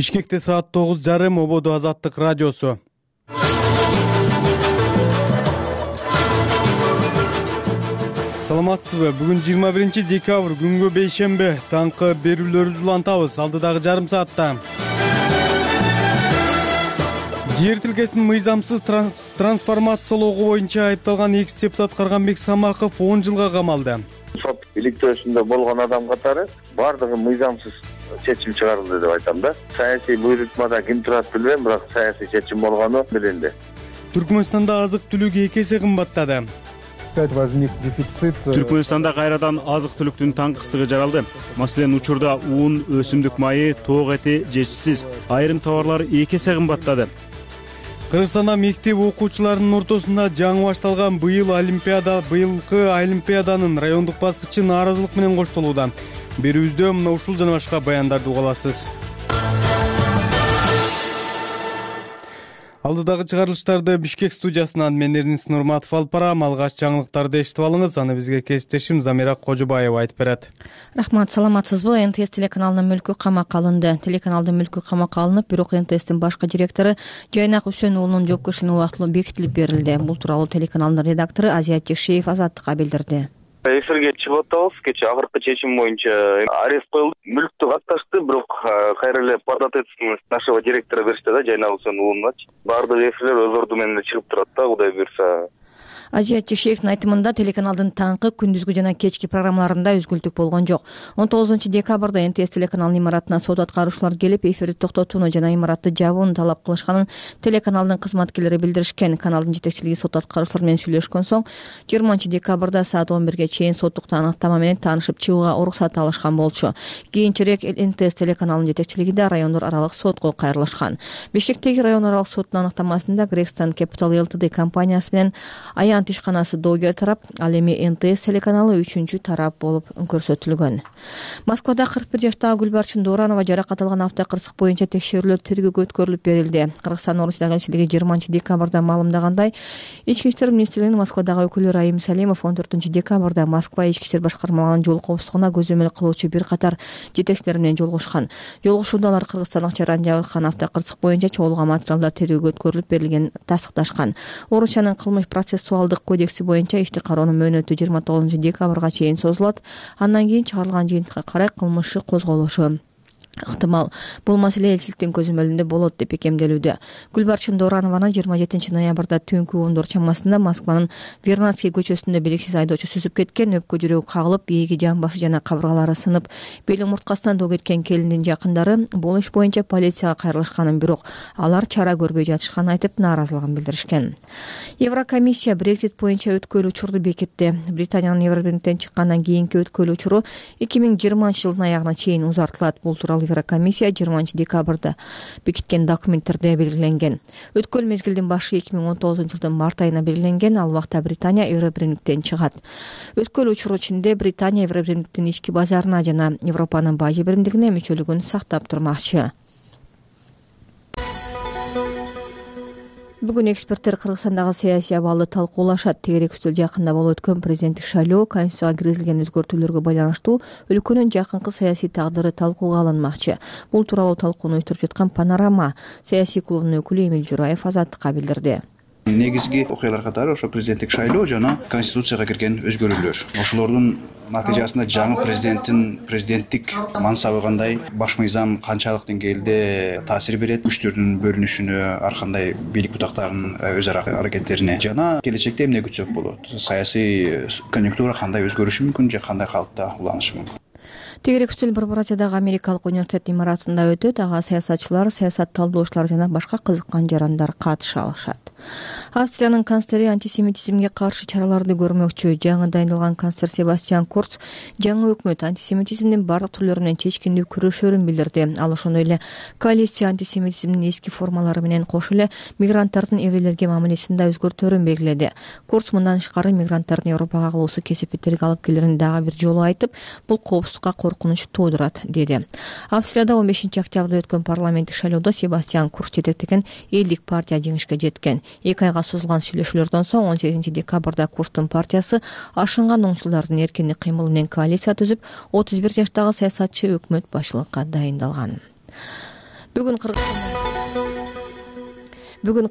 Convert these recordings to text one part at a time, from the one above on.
Бишкекте саат 9:30 Ободо Азаттык радиосу. Саламатсызбы? Бүгүн 21 декабрь, күнгө бейшембе. Таңкы берүүлөрүбүздү улантабыз алдыдагы жарым саатта. Жер тилкесин мыйзамсыз трансформациялоого боюнча айыпталган экс-депутат Карганбек Самаков 10 жылга камалды. Сот иликтөөсүндө болгон адам катары бардыгы мыйзамсыз чечим чыгарылды деп айтам да. Саясий буйрутмада ким турат билбейм, бирок саясий чечим болгону билинди. Түркмөнстанда азык-түлүк 2 эсе кымбаттады. Возник дефицит. Түркмөнстанда кайрадан азык-түлүктүн таңкыстыгы жаралды. Маселен, учурда ун, өсүмдүк майы, тоок эти жешсиз, айрым товарлар 2 эсе кымбаттады. Кыргызстанда мектеп окуучуларынын ортосунда жаңы башталган быйылкы олимпиаданын райондук баскычы нааразылык менен коштолууда. Берүүбүздө мына ушул жана башка баяндарды уга аласыз. Алдыдагы чыгарылыштарды Бишкек студиясынан мен Эрнис Нурматов алып барам. Алгач жаңылыктарды эшитип алыңыз, аны бизге кесиптешим Замира Кожобаева айтып берет. Рахмат, саламатсызбы? НТС телеканалынын мүлкү камакка алынды. Телеканалдын мүлкү камакка алынып, бирок НТСтин башкы директору Жайнак Үсөн уулунун жоопкерчилигине убактылуу бекитилип берилди. Бул тууралуу телеканалдын редактору Азият Жекшеев Азаттыкка билдирди. Эфирге чыгып атабыз. Кечээ акыркы чечим боюнча арест коюлду. Мүлктү катташты, бирок кайра эле подответственность нашего директора беришти да, Жайнак Үсөн уулуначы. Бардык эфирлер өз орду менен чыгып турат да, Кудай буйрса. Азият Жекшеевдин айтымында телеканалдын таңкы, күндүзгү жана кечки программаларында өзгөлтүк болгон жок. 19 декабрда НТС телеканалынын имаратына сот аткаруучулар келип, эфирди токтотууну жана имаратты жабууну талап кылышканын телеканалдын кызматкерлери билдиришкен. Каналдын жетекчилиги сот аткаруучулар менен сүйлөшкөн соң 20 декабрда саат 11ге чейин соттук аныктама менен таанышып чыгууга уруксат алышкан болчу. Кийинчерээк НТС телеканалынын жетекчилиги да райондор аралык сотко кайрылышкан. Бишкектеги район аралык соттун аныктамасында Грекстон Capital Ltd компаниясы менен Аян ишканасы доогер тарап, ал эми НТС телеканалы 3-чү тарап болуп көрсөтүлгөн. Москвада 41 жаштагы Гүлбарчын Доранова жаракат алган автокырсык боюнча текшерүүлөр тергөөгө өткөрүлүп берилди. Кыргызстан Орусия элчилиги 20 декабрда маалымдагандай, Ички иштер министрлигинин Москвадагы өкүлү Раим Салимов 14 декабрда Москва ички иштер башкармалыгынын жол коопсуздугуна көзөмөл кылуучу бир катар жетекчилер менен жолугушкан. Жолугушууда алар Кыргызстандык чараны жабыркан автокырсык боюнча чогулган материалдар тергөөгө өткөрүлүп берилгенин тастыкташкан. Орусиянын кылмыш процессуалдык кодекси боюнча ишти кароонун мөөнөтү 29 декабрга чейин созулат. Андан кийин чыгарылган жыйынтыкка карай кылмыш козголушу ыктымал. Бул маселе элчиликтин көзөмөлүндө болот деп бекемделүүдө. Гүлбарчын Доранованы 27 ноябрда түнкү 10 чамасында Москванын Вернадский көчөсүндө белгисиз айдоочу сүзүп кеткен, өпкө жүрөгү кагылып, бээги жан башы жана кабыргалары сынып, бел омурткасынан доо кеткен келиндин жакындары бул иш боюнча полицияга кайрылышканын, бирок алар чара көрбөй жатышканын айтып, нааразылыгын билдиришкен. Еврокомиссия Brexit боюнча өткөөлүү учурду бекитти. Британиянын Евробирликтен чыккандан кийинки өткөөлүү учуру 2020 жылдын аягына чейин узартылат. Бул тууралуу Еврокомиссия 20 декабрда бекиткен документтерде белгиленген. Өткөөл мезгилдин башы 2019 жылдын март айына белгиленген. Ал убакта Британия Евробирликтен чыгат. Өткөөлүү учуру ичинде Британия Евробирликтин ички базарына жана Европанын бажы биримдигине мүчөлүгүн сактап турмакчы. Бүгүн эксперттер Кыргызстандагы саясий абалды талкуулашат. Тегерек үстөл жакында болуп өткөн президенттик шайлоо Конституцияга киргизилген өзгөртүүлөргө байланыштуу өлкөнүн жакынкы саясий тагдыры талкууга алынмакчы. Бул тууралуу талкууну уюштуруп жаткан Панорама саясий клубунун өкүлү Эмил Жураев Азаттыкка билдирди. Негизги окуялар катары ошо президенттик шайлоо жана Конституцияга кирген өзгөрүүлөр. Ошолордун натыйжасында жаңы президенттик мансабы кандай, баш мыйзам канчалык деңгээлде таасир берет, күчтөрдүн бөлүнүшүнө, ар кандай бийлик бутактарынын өз ара аракеттерине жана келечекте эмне күтсөк болот, саясий конъюнктура кандай өзгөрүшү мүмкүн же кандай калыпта уланышы мүмкүн. Тегерек үстөл Борборачадагы Америкалык университет имаратында өтөт. Ага саясатчылар, саясат талдоочулар жана башка кызыккан жарандар катыша алышат. Австриянын канцлери антисемитизмге каршы чараларды көрмөкчү. Жаңы дайындалган канцлер Себастьян Курц жаңы өкмөт антисемитизмдин бардык түрлөрү менен чечкиндүү күрөшөрүн билдирди. Ал ошондой эле коалиция антисемитизмдин эски формалары менен кошо эле мигранттардын еврейлерге мамилесин да өзгөртөөрүн белгиледи. Курц мындан тышкары мигранттардын Европага кылуусу кесепеттерге алып келерин дагы бир жолу айтып, бул коопсуздукка коркунуч туудурат деди. Австрияда 15 октябрда өткөн парламенттик шайлоодо Себастьян Курц жетектеген Элдик партия жеңишке жеткен. 2 айга созулган сүйлөшүүлөрдөн соң 18 декабрда Курцтун партиясы ашынган оңчулардын эркиндик кыймылы менен коалиция түзүп, 31 жаштагы саясатчы өкмөт башчылыкка дайындалган. Бүгүн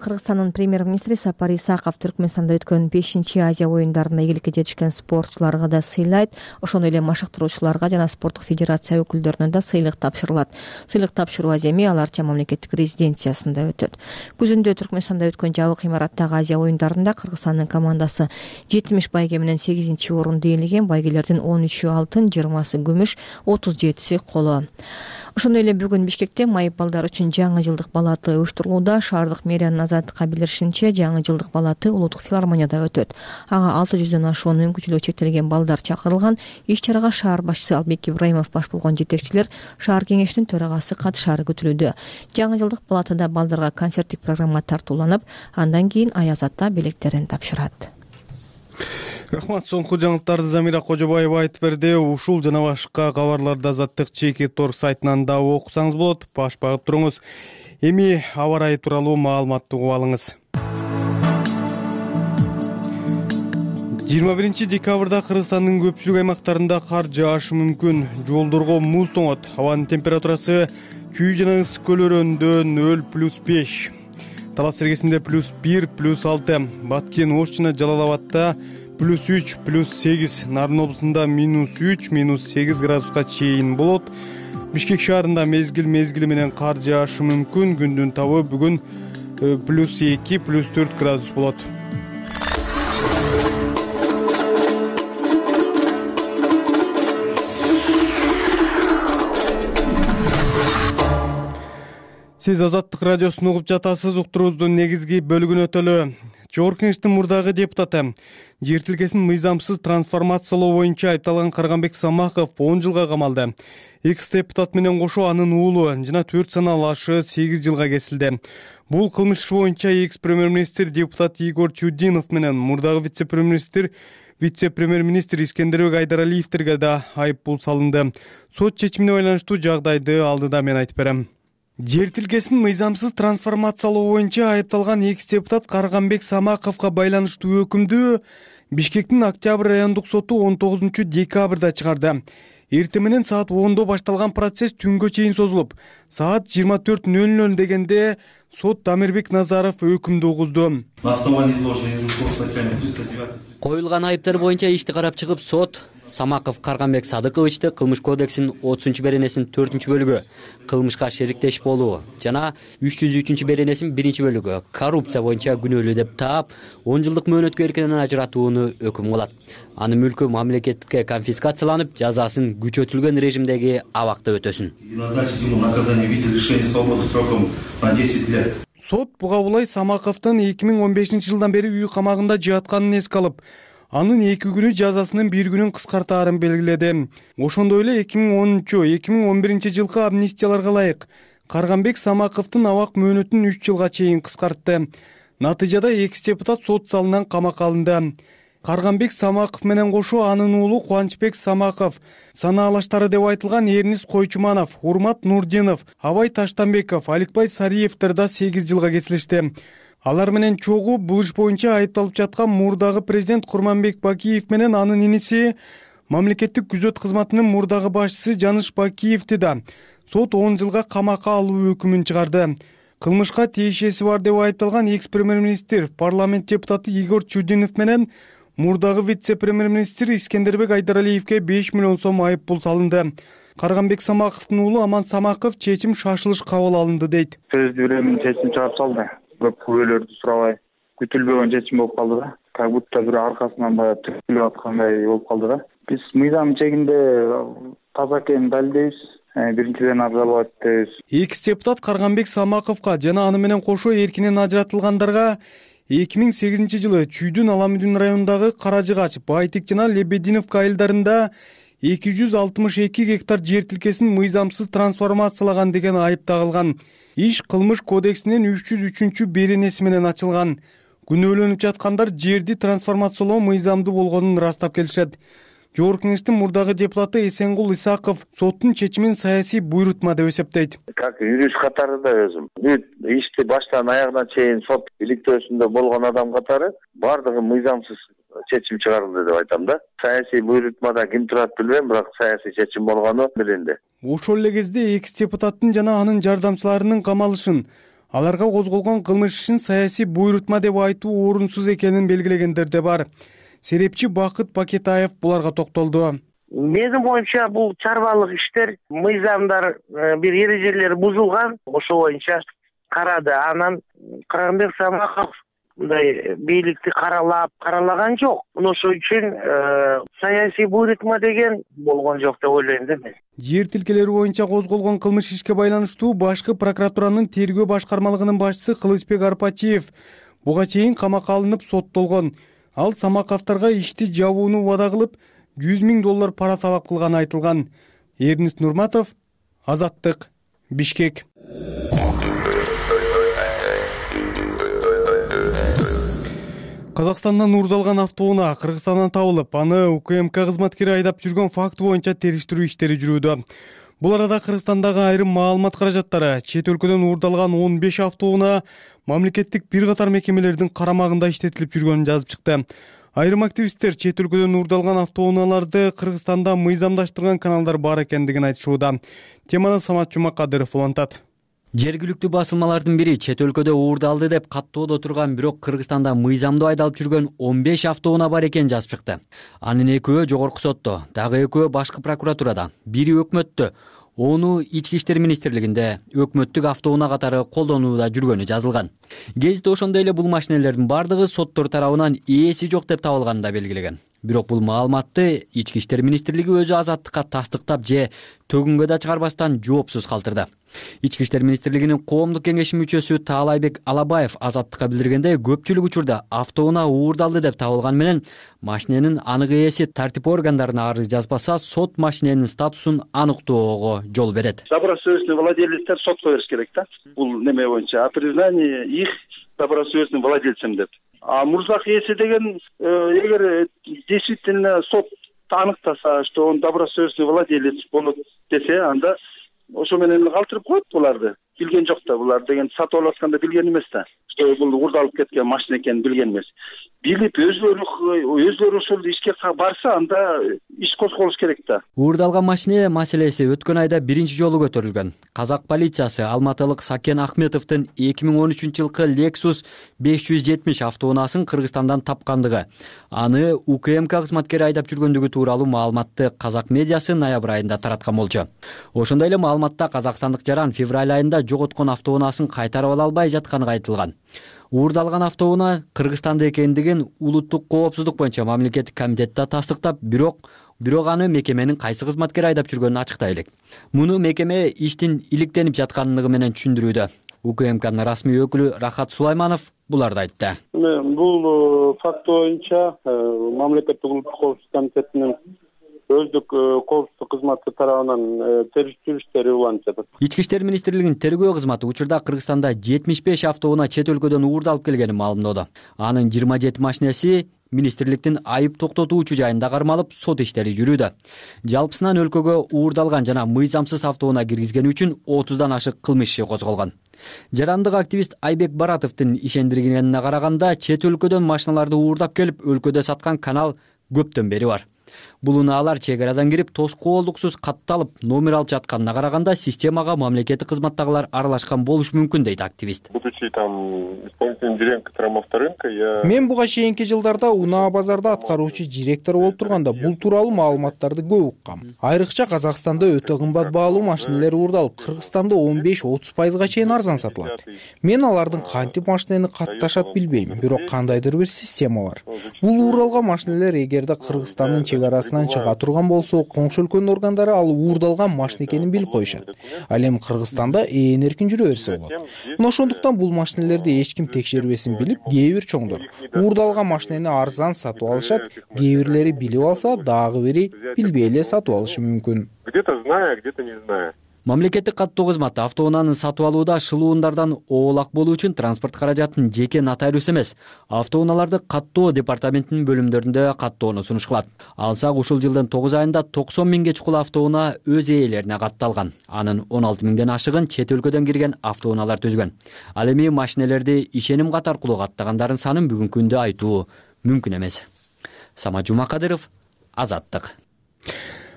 Кыргызстандын премьер-министри Сапар Исаков Түркмөнстанда өткөн 5-Азия оюндарында ийгиликке жетишкен спортчуларга да сыйлайт. Ошондой эле машыктыруучуларга жана спорттук федерация өкүлдөрүнө да сыйлык тапшырылат. Сыйлык тапшыруу аземи Ал Арча мамлекеттик резиденциясында өтөт. Күзүндө Түркмөнстанда өткөн жабык имараттагы Азия оюндарында Кыргызстандын командасы 70 байге менен 8-орунду ээлеген. Байгелердин 13-ү алтын, 20-сы күмүш, 37-си коло. Ошондой эле бүгүн Бишкекте майып балдар үчүн жаңы жылдык балаты уюштурулууда. Шаардык мэриянын азаттыкка билдиришинче, жаңы жылдык балаты Улуттук филармонияда өтөт. Ага 600дөн ашуун мүмкүнчүлүгү чектелген балдар чакырылган. Иш-чарага шаар башчысы Албек Ибраимов баш болгон жетекчилер, шаар кеңешинин төрагасы катышаары күтүлүүдө. Жаңы жылдык балатыда балдарга концерттик программа тартууланып, андан кийин Аяз ата белектерин тапшырат. Рахмат. Соңку жаңылыктарды Замира Кожобаева айтып берди. Ушул жана башка кабарларды Азаттык ЧК.org сайтынан да окусаңыз болот. Баш багып туруңуз. Эми аба ырайы тууралуу маалыматты угуп алыңыз. 21 декабрда Кыргызстандын көпчүлүк аймактарында кар жаашы мүмкүн. Жолдорго муз тоңот. Абанын температурасы күй жана ысык көлөрөндө 0+5. Талас Сергесинде +1, +6. Баткен, Ош жана Жалал-Абадта +3, +8. Нарын облусунда -3, -8 градуска чейин болот. Бишкек шаарында мезгил менен кар жаашы мүмкүн. Күндүн табы бүгүн +2, +4 градус болот. Сиз Азаттык радиосун угуп жатасыз. Уктуруубуздун негизги бөлүгүнө өтөлү. Жогорку Кеңештин мурдагы депутаты, жер тилкесин мыйзамсыз трансформациялоо боюнча айыпталган Карганбек Самаков 10 жылга камалды. Экс-депутат менен кошо анын уулу жана 4 саналуу ашы 8 жылга кесилди. Бул кылмыш иши боюнча экс-премьер-министр депутат Игорь Чудинов менен мурдагы вице-премьер-министр Искендербек Айдаралиевтерге да айып пул салынды. Сот чечимине байланыштуу жагдайды алдыда мен айтып берем. Жер тилкесин мыйзамсыз трансформациялоо боюнча айыпталган экс-депутат Карганбек Самаковго байланыштуу өкүмдү Бишкектин Октябрь райондук соту 19 декабрда чыгарды. Эртең менен саат 10-до башталган процесс түнгө чейин созулуп, саат 24:00 дегенде сот Дамирбек Назаров өкүмдү угузду. Коюлган айыптар боюнча ишти карап чыгып, сот Самаков Карганбек Садыковичти кылмыш кодексинин 30-беренесинин 4-бөлүгү кылмышка шериктеш болуу жана 303-беренесинин 1-бөлүгү коррупция боюнча күнөөлүү деп таап 10 жылдык мөөнөткө эркинен ажыратууну өкүм кылат. Анын мүлкү мамлекетке конфискацияланып, жазасын күчөтүлгөн режимдеги абакта өтөсүн. Сот буга булай Самаковдун 2015 жылдан бери үй камагында жатканын эске алып, анын 2 күнү жазасынын 1 күнүн кыскартаарын белгиледи. Ошондой эле 2010-2011 жылкы амнистияларга ылайык Карганбек Самаковдун абак мөөнөтүн 3 жылга чейин кыскартты. Натыйжада экс-депутат сот залынан камакка алынды. Карганбек Самаков менен кошо анын уулу Кубанычбек Самаков, санаалаштары деп айтылган Эрнис Койчуманов, Урмат Нурдинов, Абай Таштанбеков, Аликбай Сариевтер да 8 жылга кесилишти. Алар менен чогуу бул иш боюнча айыпталып жаткан мурдагы президент Курманбек Бакиев менен анын иниси мамлекеттик күзөт кызматынын мурдагы башчысы Жаныш Бакиевти да сот 10 жылга камакка алуу өкүмүн чыгарды. Кылмышка тиешеси бар деп айыпталган экс-премьер-министр, парламент депутаты Игорь Чудинов менен мурдагы вице-премьер-министр Искендербек Айдаралиевке 5 миллион сом айып пул салынды. Карганбек Самаковдун уулу Аман Самаков чечим шашылыш кабыл алынды дейт. Сөздүү эле чечим чыгарып салды. Көп күбөлөрдү сурабай күтүлбөгөн чечим болуп калды да. Как будто бир аркасынан баягы түртүлүп аткандай болуп калды да. Биз мыйзам чегинде таза экенин далилдейбиз. Биринчиден абзалбайт дейбиз. Экс-депутат Карганбек Самаковго жана аны менен кошо эркинен ажыратылгандарга 2008 жылы Чүйдүн Аламүдүн районундагы Каражыгач, Байтик жана Лебединовка айылдарында 262 гектар жер тилкесин мыйзамсыз трансформациялаган деген айып тагылган. Иш кылмыш кодексинин 303-беренеси менен ачылган. Күнөөлөнүп жаткандар жерди трансформациялоо мыйзамдуу болгонун ырастап келишет. Жогорку Кеңештин мурдагы депутаты Эсенгул Исаков соттун чечимин саясий буйрутма деп эсептейт. Как юрист катары да өзүм бүт ишти баштан аягына чейин сот иликтөөсүндө болгон адам катары бардыгы мыйзамсыз чечим чыгарылды деп айтам да. Саясий буйрутмада ким турат билбейм, бирок саясий чечим болгону билинди. Ошол эле кезде экс депутаттын жана анын жардамчыларынын камалышын, аларга козголгон кылмыш ишин саясий буйрутма деп айтуу орунсуз экенин белгилегендер да бар. Серепчи Бакыт Бакетаев буларга токтолду. Менин оюмча бул чарбалык иштер, мыйзамдар бир эрежелери бузулган, ошол боюнча карады. Анан Карганбек Самаков мындай бийликти каралаган жок. Ошол үчүн саясий буйрутма деген болгон жок деп ойлойм да мен. Жер тилкелери боюнча козголгон кылмыш ишке байланыштуу башкы прокуратуранын тергөө башкармалыгынын башчысы Кылычбек Арпачиев буга чейин камакка алынып соттолгон. Ал Самаковторго ишти жабууну убада кылып, $100,000 пара талап кылганы айтылган. Эрнист Нурматов, Азаттык, Бишкек. Казакстандан уурдалган автоунаа Кыргызстандан табылып, аны УКМК кызматкери айдап жүргөн факты боюнча териштирүү иштери жүрүүдө. Бул арада Кыргызстандагы айрым маалымат каражаттары чет өлкөдөн уурдалган 15 автоунаа мамлекеттик бир катар мекемелердин карамагында иштетилип жүргөнүн жазып чыкты. Айрым активисттер чет өлкөдөн уурдалган автоунааларды Кыргызстанда мыйзамдаштырган каналдар бар экендигин айтышууда. Теманы Самат Жумакадыров улантат. Жергиликтүү басылмалардын бири чет өлкөдө уурдалды деп каттоодо турган, бирок Кыргызстанда мыйзамдуу айдалып жүргөн 15 автоунаа бар экенин жазып чыкты. Анын экөө жогорку сотто, дагы экөө башкы прокуратурада, бири өкмөттө, ону Ички иштер министрлигинде өкмөттүк автоунаа катары колдонууда жүргөнү жазылган. Гезит ошондой эле бул машинелердин бардыгы соттор тарабынан ээси жок деп табылганын да белгилеген. Бирок бул маалыматты Ички иштер министрлиги өзү Азаттыкка тастыктап же төгүнгө да чыгарбастан жоопсуз калтырды. Ички иштер министрлигинин коомдук кеңеши мүчөсү Таалайбек Алабаев Азаттыкка билдиргенде, көпчүлүк учурда автоунаа уурдалды деп табылган менен машиненин анык ээси тартип органдарына арыз жазбаса, сот машиненин статусун аныктоого жол берет. Добросовестный владелецтер сотко бериш керек да. Бул неме боюнча признание их добросовестным владельцем деп. А мурзак ээси деген эгер действительно сот аныктаса, что он добросовестный владелец болот десе, анда ошо менен калтырып коет буларды. Билген жок да, булар деген сатып алып атканда билген эмес да. Что бул уурдалып кеткен машина экенин билген эмес. Билип өзлөрү ушул ишке барса, анда иш козголуш керек да. Уурдалган машина маселеси өткөн айда биринчи жолу көтөрүлгөн. Казак полициясы алматылык Сакен Ахметовдун 2013-жылкы Lexus 570 автоунаасын Кыргызстандан тапкандыгы, аны УКМК кызматкери айдап жүргөндүгү тууралуу маалыматты казак медиасы ноябрь айында тараткан болчу. Ошондой эле маалыматта казакстандык жаран февраль айында жоготкон автоунаасын кайтарып ала албай жатканы айтылган. Уурдалган автоунаа Кыргызстанда экендигин улуттук коопсуздук боюнча мамлекеттик комитетте тастыктап, бирок аны мекеменин кайсы кызматкери айдап жүргөнүн ачыктай элек. Муну мекеме иштин иликтенип жаткандыгы менен түшүндүрүүдө. УКМКнын расмий өкүлү Рахат Сулайманов буларды айтты. Бул факт боюнча мамлекеттик улуттук коопсуздук комитетинин өздүк коопсуздук кызматы тарабынан териштирүү иштери уланып жатат. Ички иштер министрлигинин тергөө кызматы учурда Кыргызстанда 75 автоунаа чет өлкөдөн уурдалып келгенин маалымдоодо. Анын 27 машинеси министрликтин айып токтотуучу жайында кармалып, сот иштери жүрүүдө. Жалпысынан өлкөгө уурдалган жана мыйзамсыз автоунаа киргизгени үчүн 30дан ашык кылмыш иши козголгон. Жарандык активист Айбек Баратовдун ишендиргенине караганда, чет өлкөдөн машиналарды уурдап келип өлкөдө саткан канал көптөн бери бар. Бул унаалар чек арадан кирип, тоскоолдуксуз катталып, номер алып жатканына караганда системага мамлекеттик кызматтагылар аралашкан болушу мүмкүн дейт активист. Будучи там исполнительным директором авторынка, я... Мен буга чейинки жылдарда унаа базарда аткаруучу директор болуп турганда бул тууралуу маалыматтарды көп уккам. Айрыкча Казакстанда өтө кымбат баалуу машинелер уурдалып, Кыргызстанда 15-30% чейин арзан сатылат. Мен алардын кантип машинени катташат билбейм, бирок кандайдыр бир система бар. Бул уурдалган машинелер эгерде Кыргызстандын чек арасынан чыга турган болсо, коңшу өлкөнүн органдары ал уурдалган машина экенин билип коюшат. Ал эми Кыргызстанда эркин жүрө берсе болот. Ошондуктан бул машинелерди эч ким текшербесин билип, кээ бир чоңдор уурдалган машинени арзан сатып алышат, кээ бирлери билип алса, дагы бири билбей эле сатып алышы мүмкүн. Где-то зная, где-то не зная. Мамлекеттик каттоо кызматы автоунааны сатып алууда шылуундардан оолак болуу үчүн транспорт каражатын жеке нотариус эмес, автоунааларды каттоо департаментинин бөлүмдөрүндө каттоону сунуш кылат. Алсак ушул жылдын 9 айында 90 миңге чукул автоунаа өз ээлерине катталган. Анын 16 миңден ашыгын чет өлкөдөн кирген автоунаалар түзгөн. Ал эми машинелерди ишеним кат аркылуу каттагандардын санын бүгүнкү күндө айтуу мүмкүн эмес. Самат Жумакадыров, Азаттык.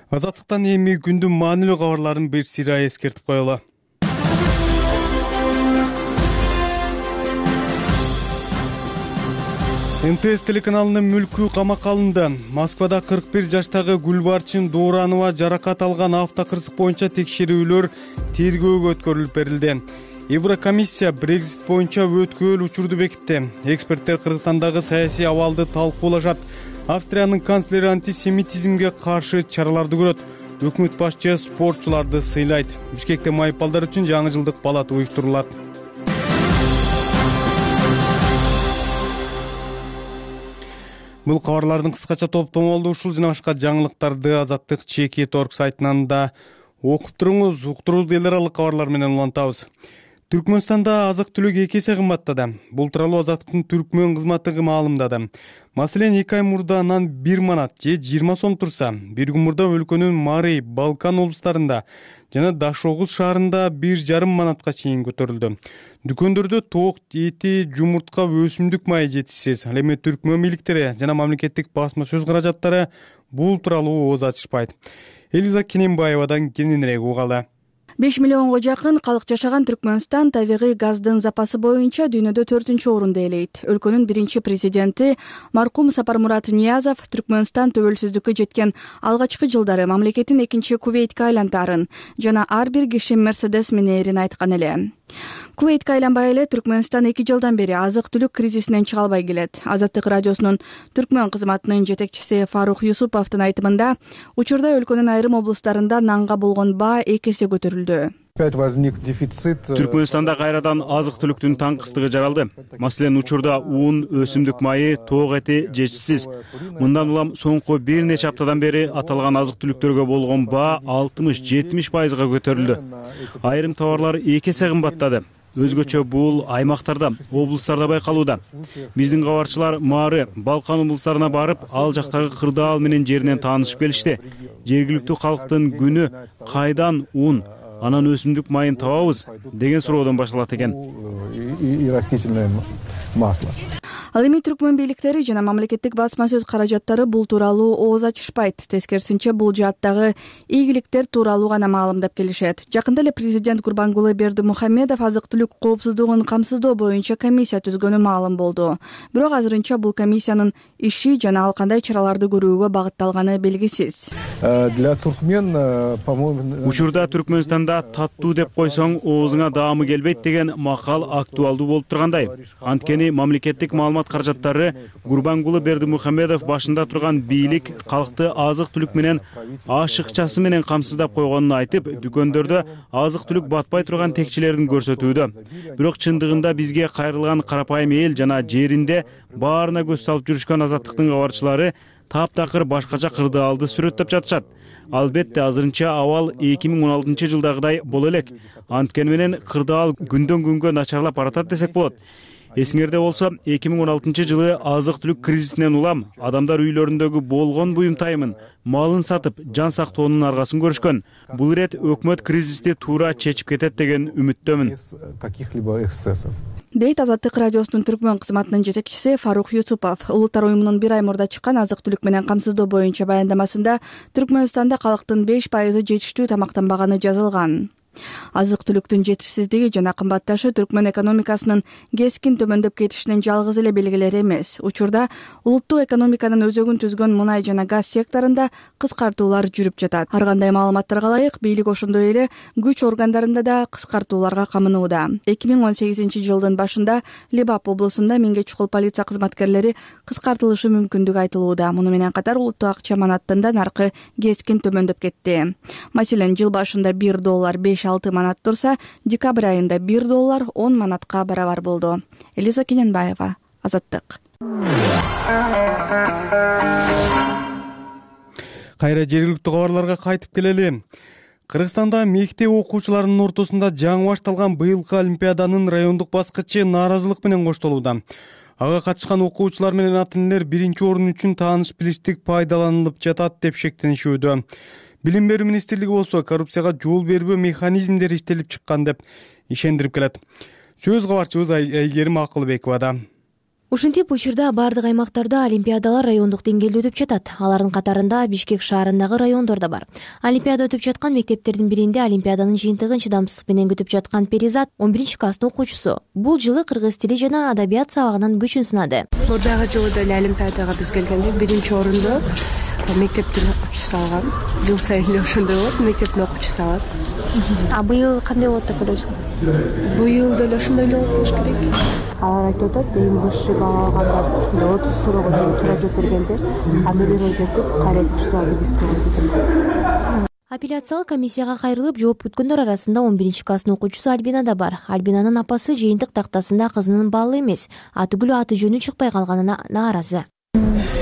Азаттыктан эми күндүн маанилүү кабарларын бир сыйра эскертип коелу. МТС телеканалынын мүлкү камакка алынды. Москвада 41 жаштагы Гүлбарчын Дууранова жаракат алган автокырсык боюнча текшерүүлөр тергөөгө өткөрүлүп берилди. Еврокомиссия Брекзит боюнча өткөөл учурду бекитти. Эксперттер Кыргызстандагы саясий абалды талкуулашат. Австриянын канцлери антисемитизмге каршы чараларды көрөт. Өкмөт башчы спортчуларды сыйлайт. Бишкекте майыпалдар үчүн жаңы жылдык балат уюштурулат. Бул кабарлардын кыскача топтому болду. Ушул жана башка жаңылыктарды Азаттык Чеки.org сайтынан да окуп туруңуз. Уктуруубузду эл аралык кабарлар менен улантабыз. Түркмөнстанда азык-түлүк 2 эсе кымбаттады. Бул тууралуу Азаттыктын Түркмөн кызматы маалымдады. Маселен, 2 ай мурда нан 1 манат же 20 сом турса, бир күн мурда өлкөнүн Марий, Балкан облустарында жана Дашогуз шаарында 1,5 манатка чейин көтөрүлдү. Дүкөндөрдө тоок эти, жумуртка, өсүмдүк майы жетишсиз. Ал эми Түркмөн бийликтери жана мамлекеттик басма сөз каражаттары бул тууралуу ооз ачышпайт. Элиза Кененбаевадан кененирээк угалы. 5 миллионго жакын калк жашаган Түркмөнстан табигый газдын запасы боюнча дүйнөдө 4-орунду ээлейт. Өлкөнүн биринчи президенти маркум Сапармурат Ниязов Түркмөнстан төбөлсүздүккө жеткен алгачкы жылдары мамлекеттин экинчи Кувейтке айлантарын жана ар бир киши Мерседес минерин айткан эле. Кувейтке айланбай эле Түркмөнстан 2 жылдан бери азык-түлүк кризисинен чыга албай келет. Азаттык радиосунун Түркмөн кызматынын жетекчиси Фарух Юсуповдун айтымында, учурда өлкөнүн айрым облустарында нанга болгон баа 2 эсе көтөрүлдү. Түркмөнстанда кайрадан азык-түлүктүн таңкыстыгы жаралды. Маселен, учурда ун, өсүмдүк майы, тоок эти жетишсиз. Мындан улам соңку бир нече аптадан бери аталган азык-түлүктөргө болгон баа 60-70% көтөрүлдү. Айрым товарлар 2 эсе кымбаттады. Өзгөчө бул аймактарда, облустарда байкалууда. Биздин кабарчылар Мары, Балкан облустарына барып, ал жактагы кырдаал менен жеринен таанышып келишти. Жергиликтүү калктын күнү кайдан ун, анан өсүмдүк майын табабыз деген суроодон башталат экен. Ал эми Түркмөн бийликтери жана мамлекеттик басма сөз каражаттары бул тууралуу ооз ачышпайт. Тескерисинче, бул жааттагы ийгиликтер тууралуу гана маалымдап келишет. Жакында эле президент Гурбангулы Бердимухамедов азык-түлүк коопсуздугун камсыздоо боюнча комиссия түзгөнү маалым болду. Бирок азырынча бул комиссиянын иши жана ал кандай чараларды көрүүгө багытталганы белгисиз. Учурда Түркмөнстанда таттуу деп койсоң оозуңа даамы келбейт деген макал актуалдуу болуп тургандай. Анткени мамлекеттик маалымат каражаттары Гурбангулы Бердимухамедов башында турган бийлик калкты азык-түлүк менен ашыкчасы менен камсыздап койгонун айтып, дүкөндөрдө азык-түлүк батпай турган текчелерин көрсөтүүдө. Бирок чындыгында бизге кайрылган карапайым эл жана жеринде баарына көз салып жүрүшкөн Азаттыктын кабарчылары таптакыр башкача кырдаалды сүрөттөп жатышат. Албетте, азырынча абал 2016 жылдагыдай боло элек. Анткени менен кырдаал күндөн күнгө начарлап баратат десек болот. Эсиңерде болсо, 2016 жылы азык-түлүк кризисинен улам адамдар үйлөрүндөгү болгон буюмтайымын, малын сатып, жан сактоонун аргасын көрүшкөн. Бул ирет өкмөт кризисти туура чечип кетет деген үмүттөмүн. Дейт Азаттык радиосунун Түркмөн кызматынын жетекчиси Фарух Юсупов. Улуттар уюмунун 1 ай мурда чыккан азык-түлүк менен камсыздоо боюнча баяндамасында Түркмөнстанда калктын 5% жетиштүү тамактанбаганы жазылган. Азык-түлүктүн жетишсиздиги жана кымбатташы Түркмөн экономикасынын кескин төмөндөп кетишинин жалгыз эле белгилери эмес. Учурда улуттук экономиканын өзөгүн түзгөн мунай жана газ секторунда кыскартуулар жүрүп жатат. Ар кандай маалыматтарга ылайык, бийлик ошондой эле күч органдарында да кыскартууларга камынууда. 2018 жылдын башында Лебап облусунда 1000 чукул полиция кызматкерлери кыскартылышы мүмкүндүгү айтылууда. Муну менен катар улуттук акча манаттын да наркы кескин төмөндөп кетти. Маселен, жыл башында $1 5-6 манат турса, декабрь айында $1 10 манатка барабар болду. Элиза Кененбаева, Азаттык. Кайра жергиликтүү кабарларга кайтып келели. Кыргызстанда мектеп окуучуларынын ортосунда жаңы башталган быйылкы олимпиаданын райондук баскычы нааразылык менен коштолууда. Ага катышкан окуучулар менен ата-энелер биринчи орун үчүн тааныш-билиштик пайдаланылып жатат деп шектенишүүдө. Билим берүү министрлиги болсо коррупцияга жол бербөө механизмдери иштелип чыккан деп ишендирип келет. Сөз кабарчыбыз Айгерим Акылбековада. Ушинтип учурда бардык аймактарда олимпиадалар райондук деңгээлде өтүп жатат. Алардын катарында Бишкек шаарындагы райондор да бар. Олимпиада өтүп жаткан мектептердин биринде олимпиаданын жыйынтыгын чыдамсыздык менен күтүп жаткан Перизат 11 класстын окуучусу. Бул жылы кыргыз тили жана адабият сабагынан күчүн сынады. Мурдагы жылы деле олимпиадага биз келгенде биринчи орунду мектептин окуучусу алган. Жыл сайын эле ошондой болот, мектептин окуучусу алат. А быйыл кандай болот деп ойлойсуң? Быйыл деле ошондой эле болуш керек. Алар айтып атат, эң высший балл алгандар ошондой 30 суроого чейин туура жооп бергендер, аны бир өйдөтүп, кайра күчтүү биз көрдүк. Апелляциялык комиссияга кайрылып жооп күткөндөр арасында 11 класстын окуучусу Альбина да бар. Альбинанын апасы жыйынтык тактасында кызынын баллы эмес, атүгүл аты жөнү чыкпай калганына нааразы.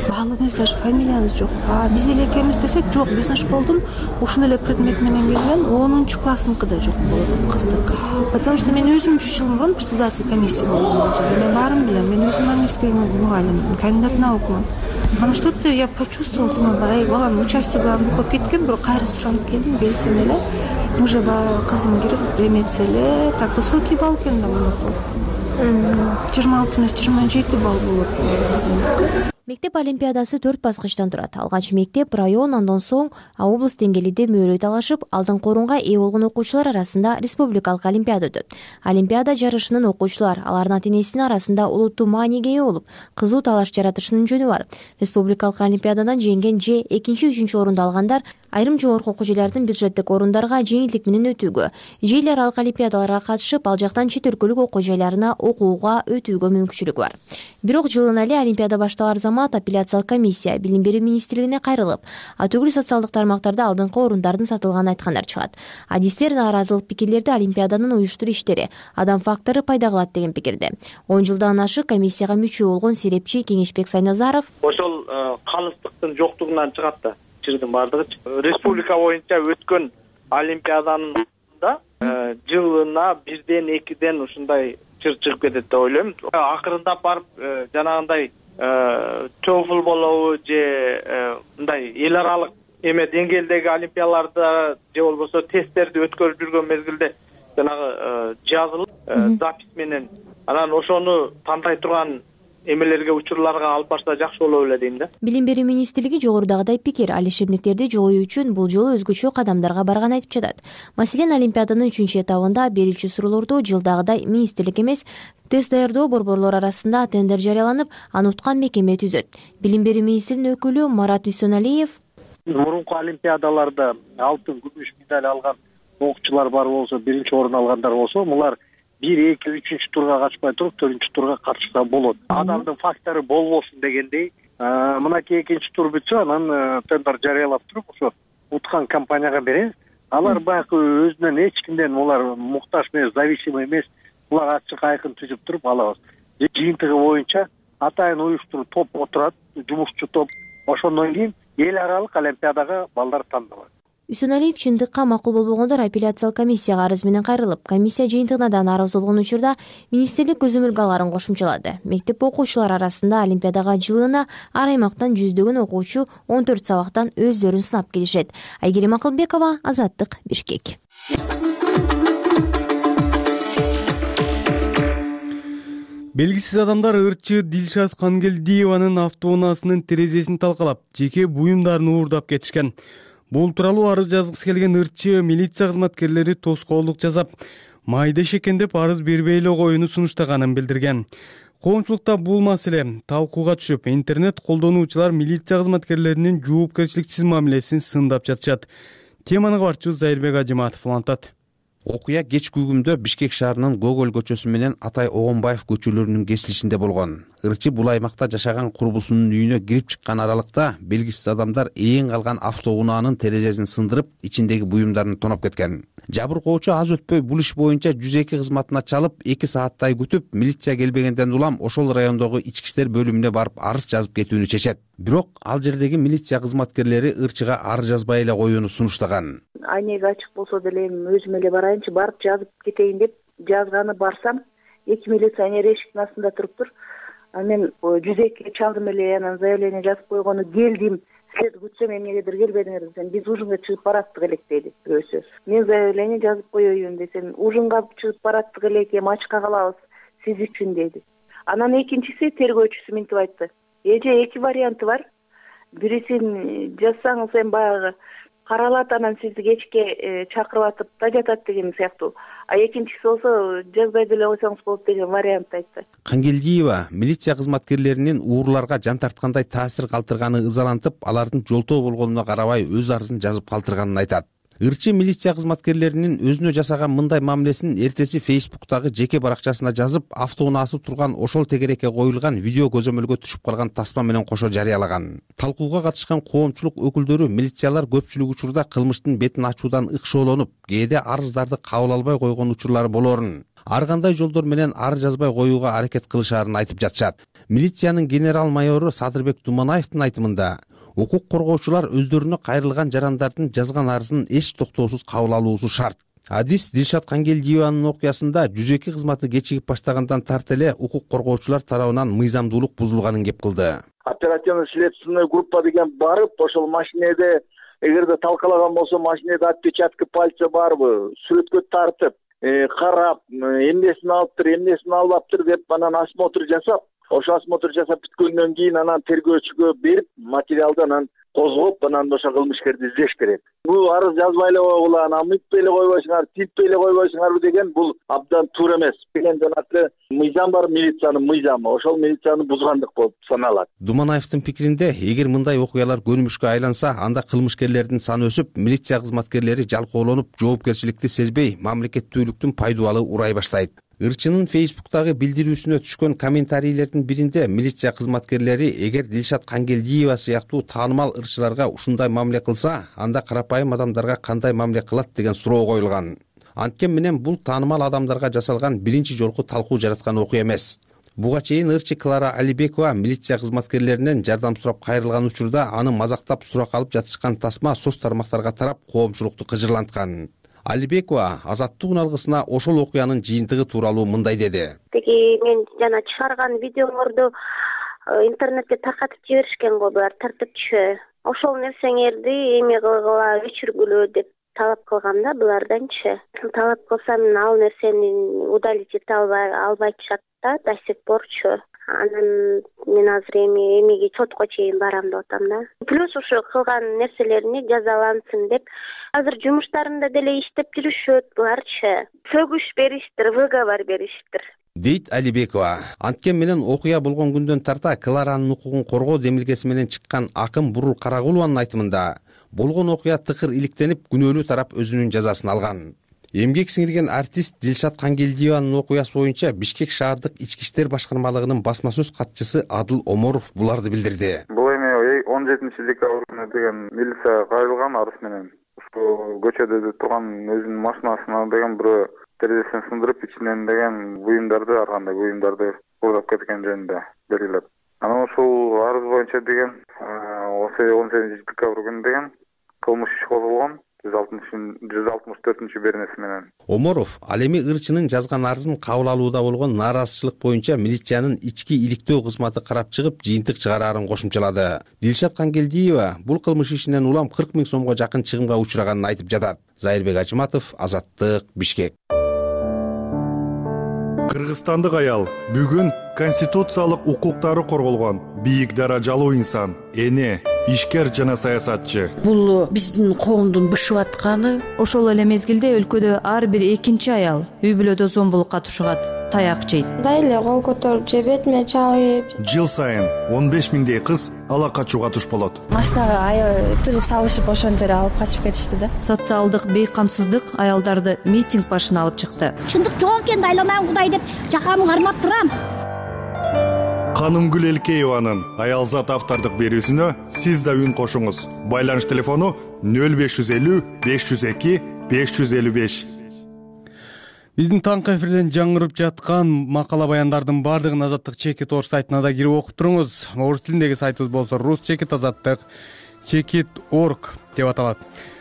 Баллы эмес, даже фамилиябыз жок. Биз эле экенбиз десек, жок, биздин школдун ушул эле предмет менен келген 10 классныкы да жок болот, кыздыкы. Потому что мен өзүм 3 жыл мурун председатель комиссия болгом. Мен баарын билем. Мен өзүм английский мугалим, кандидат наукмун. Анан что-то я почувствовала, думаю, балам участие балам көп кеткен, бирок кайра суранып келдим, келсем эле уже кызым кирип эметсе эле так высокий балл экен да мунуку. 26 эмес 27 балл болот кызымдыкы. Мектеп олимпиадасы 4 баскычтан турат. Алгач мектеп, район, андан соң облус деңгээлинде мөөрөй талашып, алдыңкы орунга ээ болгон окуучулар арасында республикалык олимпиада өтөт. Олимпиада жарышынын окуучулар, алардын ата-энесинин арасында улуттуу мааниге ээ болуп, кызуу талаш жаратышынын жөнү бар. Республикалык олимпиададан жеңген же 2-3 орунду алгандар айрым жогорку окуу жайлардын бюджеттик орундарга жеңилдик менен өтүүгө, же эл аралык олимпиадаларга катышып, ал жактан чет өлкөлүк окуу жайларына окууга өтүүгө мүмкүнчүлүгү бар. Бирок жылына эле олимпиада башталар замат апелляциялык комиссия билим берүү министрлигине кайрылып, атүгүл социалдык тармактарда алдыңкы орундардын сатылганын айткандар чыгат. Адистер нааразылык пикирлерди олимпиаданын уюштуруу иштери, адам фактору пайда кылат деген пикирде. 10 жылдан ашык комиссияга мүчө болгон серепчи Кеңешбек Сайназаров ошол калыстыктын жоктугунан чыгат да. Чырдын бардыгы республика боюнча өткөн олимпиаданын жылына 1-2 ушундай чыр чыгып кетет деп ойлойм. Акырындап барып жанагындай TOEFL болобу же мындай эл аралык эме деңгээлдеги олимпиадаларда же болбосо тесттерди өткөрүп жүргөн мезгилде жанагы жазылып запись менен анан ошону тандай турган эмелерге учурларга алып барса жакшы болот эле дейм да. Билим берүү министрлиги жогорудагыдай пикир, ал ишемдиктерди жоюу үчүн бул жолу өзгөчө кадамдарга барганын айтып жатат. Маселен, олимпиаданын 3 этабында берүүчү суроолорду жылдагыдай министрлик эмес, тест даярдоо борборлор арасында тендер жарыяланып, аны уткан мекеме түзөт. Билим берүү министринин өкүлү Марат Дүйсөналиев мурунку олимпиадаларда алтын, күмүш медаль алган окуучулар бар болсо, биринчи орун алгандар болсо, булар 1-2-3 турга катышпай туруп 4 турга катышса болот. Адамдын фактору болбосун дегендей, мынакей 2 тур бүтсө, анан тендер жарыялап туруп, ошо уткан компанияга беребиз. Алар баягы өзүнөн эч кимден улар муктаж эмес, зависимый эмес, улар ачык айкын түзүп туруп алабыз. Жыйынтыгы боюнча атайын уюштуруу топ отурат, жумушчу топ. Ошондон кийин эл аралык олимпиадага балдар тандалат. Үсөналиев чындыкка макул болбогондор апелляциялык комиссияга арыз менен кайрылып, комиссия жыйынтыгына да нааразы болгон учурда министрлик көзөмөлгө аларын кошумчалады. Мектеп окуучулары арасында олимпиадага жылына ар аймактан жүздөгөн окуучу 14 сабактан өздөрүн сынап келишет. Айгерим Акылбекова, Азаттык, Бишкек. Белгисиз адамдар ырчы Дилшат Кангелдиеванын автоунаасынын терезесин талкалап, жеке буюмдарын уурдап кетишкен. Бул тууралуу арыз жазгысы келген ырчы милиция кызматкерлери тоскоолдук жасап, майда экен деп арыз бербей эле коюуну сунуштаганын билдирген. Коомчулукта бул маселе талкууга түшүп, интернет колдонуучулар милиция кызматкерлеринин жоопкерчиликсиз мамилесин сындап жатышат. Теманы кабарчыбыз Зайырбек Ажыматов улантат. Окуя кеч күгүмдө Бишкек шаарынын Гоголь көчөсү менен Атай Огонбаев көчөлөрүнүн кесилишинде болгон. Ырчы бул аймакта жашаган курбусунун үйүнө кирип чыккан аралыкта белгисиз адамдар ээн калган автоунаанын терезесин сындырып, ичиндеги буюмдарын тоноп кеткен. Жабыркоочу аз өтпөй бул иш боюнча 102 кызматына чалып, 2 сааттай күтүп, милиция келбегенден улам ошол райондогу ички иштер бөлүмүнө барып арыз жазып кетүүнү чечет. Бирок ал жердеги милиция кызматкерлери ырчыга арыз жазбай эле коюуну сунуштаган. Айнеги ачык болсо деле өзүм эле барайынчы, барып жазып кетейин деп жазганы барсам, 2 милиционер эшиктин астында туруптур. Мен 102 чалдым эле, анан заявление жазып койгону келдим. Силерди күтсөм эмнегедир келбедиңер десем, биз ужинге чыгып бараттык элек деди бирөөсү. Мен заявление жазып коеюн десем, ужинга чыгып бараттык элек, эми ачка калабыз сиз үчүн деди. Анан экинчиси тергөөчүсү мынтип айтты: эже 2 варианты бар. Бирисин жазсаңыз эми баягы каралат, анан сизди кечке чакырып атып да жатат деген сыяктуу. А экинчиси болсо жазбай деле койсоңуз болот деген вариантты айтты. Кангелдиева милиция кызматкерлеринин уурларга жан тарткандай таасир калтырганы ызалантып, алардын жолтоо болгонуна карабай өз арызын жазып калтырганын айтат. Ырчы милиция кызматкерлеринин өзүнө жасаган мындай мамилесин эртеси Facebook'тагы жеке баракчасына жазып, автоунаасып турган ошол тегерекке коюлган видео көзөмөлгө түшүп калган тасма менен кошо жарыялаган. Талкууга катышкан коомчулук өкүлдөрү милициялар көпчүлүк учурда кылмыштын бетин ачуудан ыкшоолонуп, кээде арыздарды кабыл албай койгон учурлары болорун, ар кандай жолдор менен арыз жазбай коюуга аракет кылышаарын айтып жатышат. Милициянын генерал-майору Садырбек Думанаевдин айтымында, укук коргоочулар өздөрүнө кайрылган жарандардын жазган арызын эч токтоосуз кабыл алуусу шарт. Адис Дилшат Кангелдиеванын окуясында 102 кызматы кечигип баштагандан тарта эле укук коргоочулар тарабынан мыйзамдуулук бузулганын кеп кылды. Оперативно-следственный группа деген барып, ошол машинеде эгерде талкалаган болсо, машинеде отпечатки пальца барбы, сүрөткө тартып, карап, эмнесин алыптыр, эмнесин албаптыр деп анан осмотр жасап, ошо осмотр жасап бүткөндөн кийин анан тергөөчүгө берип, материалды анан козгоп, анан ошо кылмышкерди издеш керек. Бул арыз жазбай эле койгула, анан мынтпай эле койбойсуңар, тинтпей эле койбойсуңарбы деген бул абдан туура эмес. Деген жанагы мыйзам бар, милициянын мыйзамы, ошол милицияны бузгандык болуп саналат. Думанаевдин пикиринде, эгер мындай окуялар көнүмүшкө айланса, анда кылмышкерлердин саны өсүп, милиция кызматкерлери жалкоолонуп, жоопкерчиликти сезбей, мамлекеттүүлүктүн пайдубалы урай баштайт. Ырчынын Facebook'тагы билдирүүсүнө түшкөн комментарийлердин биринде милиция кызматкерлери эгер Дилшат Кангелдиева сыяктуу таанымал ырчыларга ушундай мамиле кылса, анда карапайым адамдарга кандай мамиле кылат деген суроо коюлган. Анткен менен бул таанымал адамдарга жасалган биринчи жолку талкуу жараткан окуя эмес. Буга чейин ырчы Клара Алибекова милиция кызматкерлеринен жардам сурап кайрылган учурда аны мазактап сурак алып жатышкан тасма соц тармактарга тарап коомчулукту кыжырланткан. Алибекова Азаттык алгысына ошол окуянын жыйынтыгы тууралуу мындай деди. Теги мен жана чыгарган видеолорду интернетке таркатып жиберишкен го булар тартипчү. Ошол нерсеңерди эме кылгыла, өчүргүлө деп талап кылгам да буларданчы. Талап кылсам ал нерсени удалить эте албайчат да до сих порчу. Анан мен азыр эмеге сотко чейин барам деп атам да. Плюс ушу кылган нерселерине жазалансын деп азыр жумуштарында деле иштеп жүрүшөт буларчы. Сөгүш бериштир, выговор бериштир. Дейт Алибекова. Анткен менен окуя болгон күндөн тарта Кларанын укугун коргоо демилгеси менен чыккан Акым Бурул Карагулованын айтымында, болгон окуя тыкыр иликтенип, күнөөлүү тарап өзүнүн жазасын алган. Эмгек сиңирген артист Дилшат Кангелдиеванын окуясы боюнча Бишкек шаардык ички иштер башкармалыгынын басма сөз катчысы Адыл Оморов буларды билдирди. Бул эми 17-декабрда деген милиция кайрылган арыз менен ушул көчөдө турган өзүнүн машинасына деген бирөө терезесин сындырып ичинен деген буюмдарды, ар кандай буюмдарды уурдап кеткен жөнүндө белгилеп. Анан ушул арыз боюнча деген 18-декабрь күнү деген кылмыш иши козголгон. 164 беренеси менен. Оморов ал эми ырчынын жазган арызын кабыл алууда болгон нааразычылык боюнча милициянын ички иликтөө кызматы карап чыгып, жыйынтык чыгараарын кошумчалады. Дилшат Кангелдиева бул кылмыш ишинен улам 40 000 сомго жакын чыгымга учураганын айтып жатат. Зайырбек Ажыматов, Азаттык, Бишкек. Кыргызстандык аял бүгүн конституциялык укуктары корголгон бийик даражалуу инсан, эне, ишкер жана саясатчы. Бул биздин коомдун бышып атканы. Ошол эле мезгилде өлкөдө ар бир экинчи аял үй бүлөдө зомбулукка тушугат, таяк жейт. Дайле кол көтөрүп же бетиме чабып. Жыл сайын 15 000 кыз ала качууга туш болот. Машинага аябай тыгып салышып ошентип алып качып кетишти да. Социалдык бейкамсыздык аялдарды митинг башына алып чыкты. Чындык жок экен, айланам Кудай деп жакамы кармап турам. Канымгүл Элкееванын аялзат автордук берүүсүнө сиз да үн кошуңуз. Байланыш телефону 0550 502 555. Биздин таңкы эфирден жаңырып жаткан макала баяндардын бардыгын Азаттык Чекит орус сайтына да кирип окуп туруңуз. Орус тилиндеги сайтыбыз болсо Рус Чекит Азаттык Чекит.org деп аталат.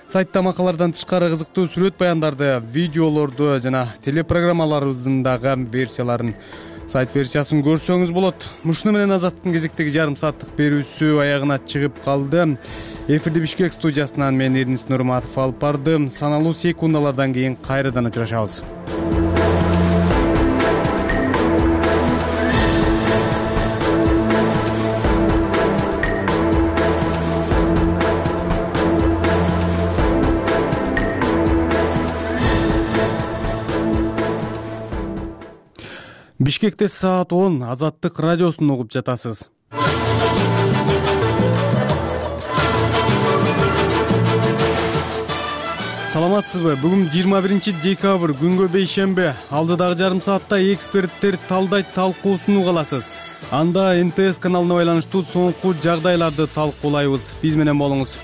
Сайтта макалалардан тышкары кызыктуу сүрөт баяндарды, видеолорду жана телепрограммаларыбыздын дагы версияларын, сайт версиясын көрсөңүз болот. Мушуну менен Азаттыктын кезектеги жарым сааттык берүүсү аягына чыгып калды. Эфирди Бишкек студиясынан мен Эрнис Нурматов алып бардым. Саналуу секундалардан кийин кайрадан учурашабыз. Бишкекте саат 10 Азаттык радиосун угуп жатасыз. Саламатсызбы? Бүгүн 21 декабрь, күнгө бейшембе. Алдыдагы жарым саатта эксперттер талдайт талкуусун угаласыз. Анда НТС каналына байланыштуу соңку жагдайларды талкуулайбыз. Биз менен болуңуз.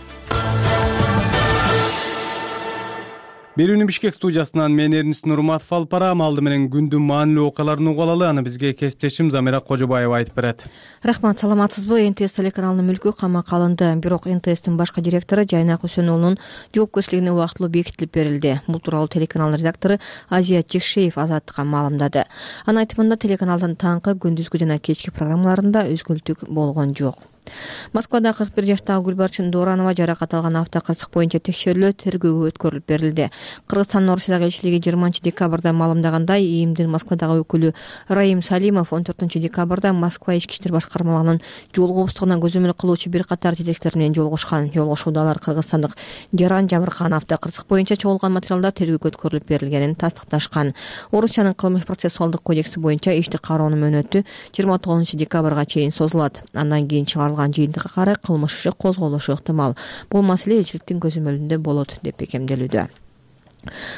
Берүүнү Бишкек студиясынан мен Эрнис Нурматов алып барам. Алды менен күндүн маанилүү окуяларын угалалы. Аны бизге кесиптешим Замира Кожобаева айтып берет. Рахмат, саламатсызбы? НТС телеканалынын мүлкү камакка алынды. Бирок НТСтин башкы директору Жайнак Үсөнуулунун жоопкерчилигине убактылуу бекитилип берилди. Бул тууралуу телеканалдын редактору Азия Чекшеев Азаттыкка маалымдады. Анын айтымында телеканалдын таңкы, күндүзгү жана кечки программаларында өзгөлтүк болгон жок. Москвада 41 жаштагы Гүлбарчын Доранова жаракат алган автокырсык боюнча текшерүүлөр тергөөгө өткөрүлүп берилди. Кыргызстандын Орусиядагы элчилиги 20 декабрда маалымдагандай, ИИМдин Москвадагы өкүлү Раим Салимов 14 декабрда Москва ички иштер башкармалыгынын жол коопсуздугуна көзөмөл кылуучу бир катар жетекчилер менен жолугушкан. Жолугушууда алар кыргызстандык Жаран Жабыркан автокырсык боюнча чогулган материалдар тергөөгө өткөрүлүп берилгенин тастыкташкан. Орусиянын кылмыш процессуалдык кодекси боюнча ишти кароонун мөөнөтү 29 декабрга чейин созулат. Андан кийин жыйынтыкка карай кылмыш иши козголушу ыктымал. Бул маселе элчиликтин көзөмөлүндө болот деп бекемделүүдө.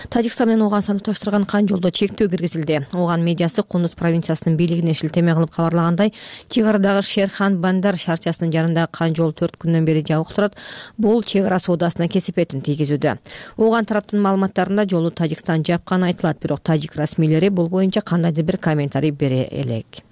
Тажикстан менен Ооганстанды туштурган кан жолдо чектөө киргизилди. Ооган медиасы Кундуз провинциясынын бийлигине шилтеме кылып кабарлагандай, чек арадагы Шерхан Бандар шаарчасынын жанындагы кан жол 4 күндөн бери жабык турат. Бул чек ара соодасына кесепетин тийгизүүдө. Ооган тараптын маалыматтарында жолду Тажикстан жапканы айтылат, бирок тажик расмийлери бул боюнча кандайдыр бир комментарий бере элек.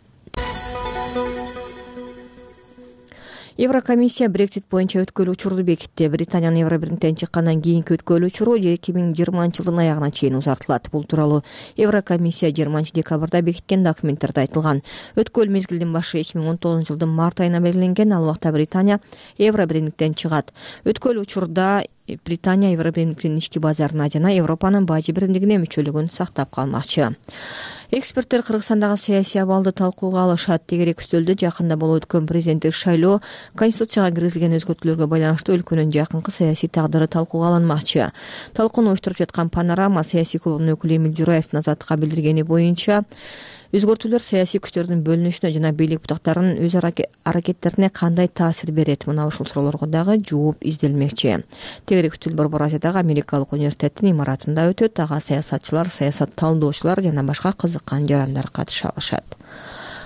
Еврокомиссия Брексит боюнча өткөрүү учурду бекитти. Британиянын Евробирликтен чыккандан кийинки өткөрүү учуру 2020 жылдын аягына чейин узартылат. Бул тууралуу Еврокомиссия 20 декабрда бекиткен документтерде айтылган. Өткөрүү мезгилдин башы 2019 жылдын март айына белгиленген. Ал убакта Британия Евробирликтен чыгат. Өткөрүү учурда Британия Евробирликтин ички базарына жана Европанын бажы биримдигине мүчөлүгүн сактап калмакчы. Эксперттер Кыргызстандагы саясий абалды талкууга алышат. Тегерек үстөлдө жакында болуп өткөн президенттик шайлоо Конституцияга киргизилген өзгөртүүлөргө байланыштуу өлкөнүн жакынкы саясий тагдыры талкууга алынмакчы. Талкууну уюштуруп жаткан Панорама саясий клубунун өкүлү Эмил Жураевдин Азаттыкка билдиргени боюнча, өзгөртүүлөр саясий күчтөрдүн бөлүнүшүнө жана бийлик бутактарынын өз аракеттерине кандай таасир берет? Мына ушул суроолорго дагы жооп изделмекчи. Тегерек үстөл Борбор Азиядагы Америкалык университеттин имаратында өтөт. Ага саясатчылар, саясат талдоочулар жана башка кызыккан жарандар катыша алышат.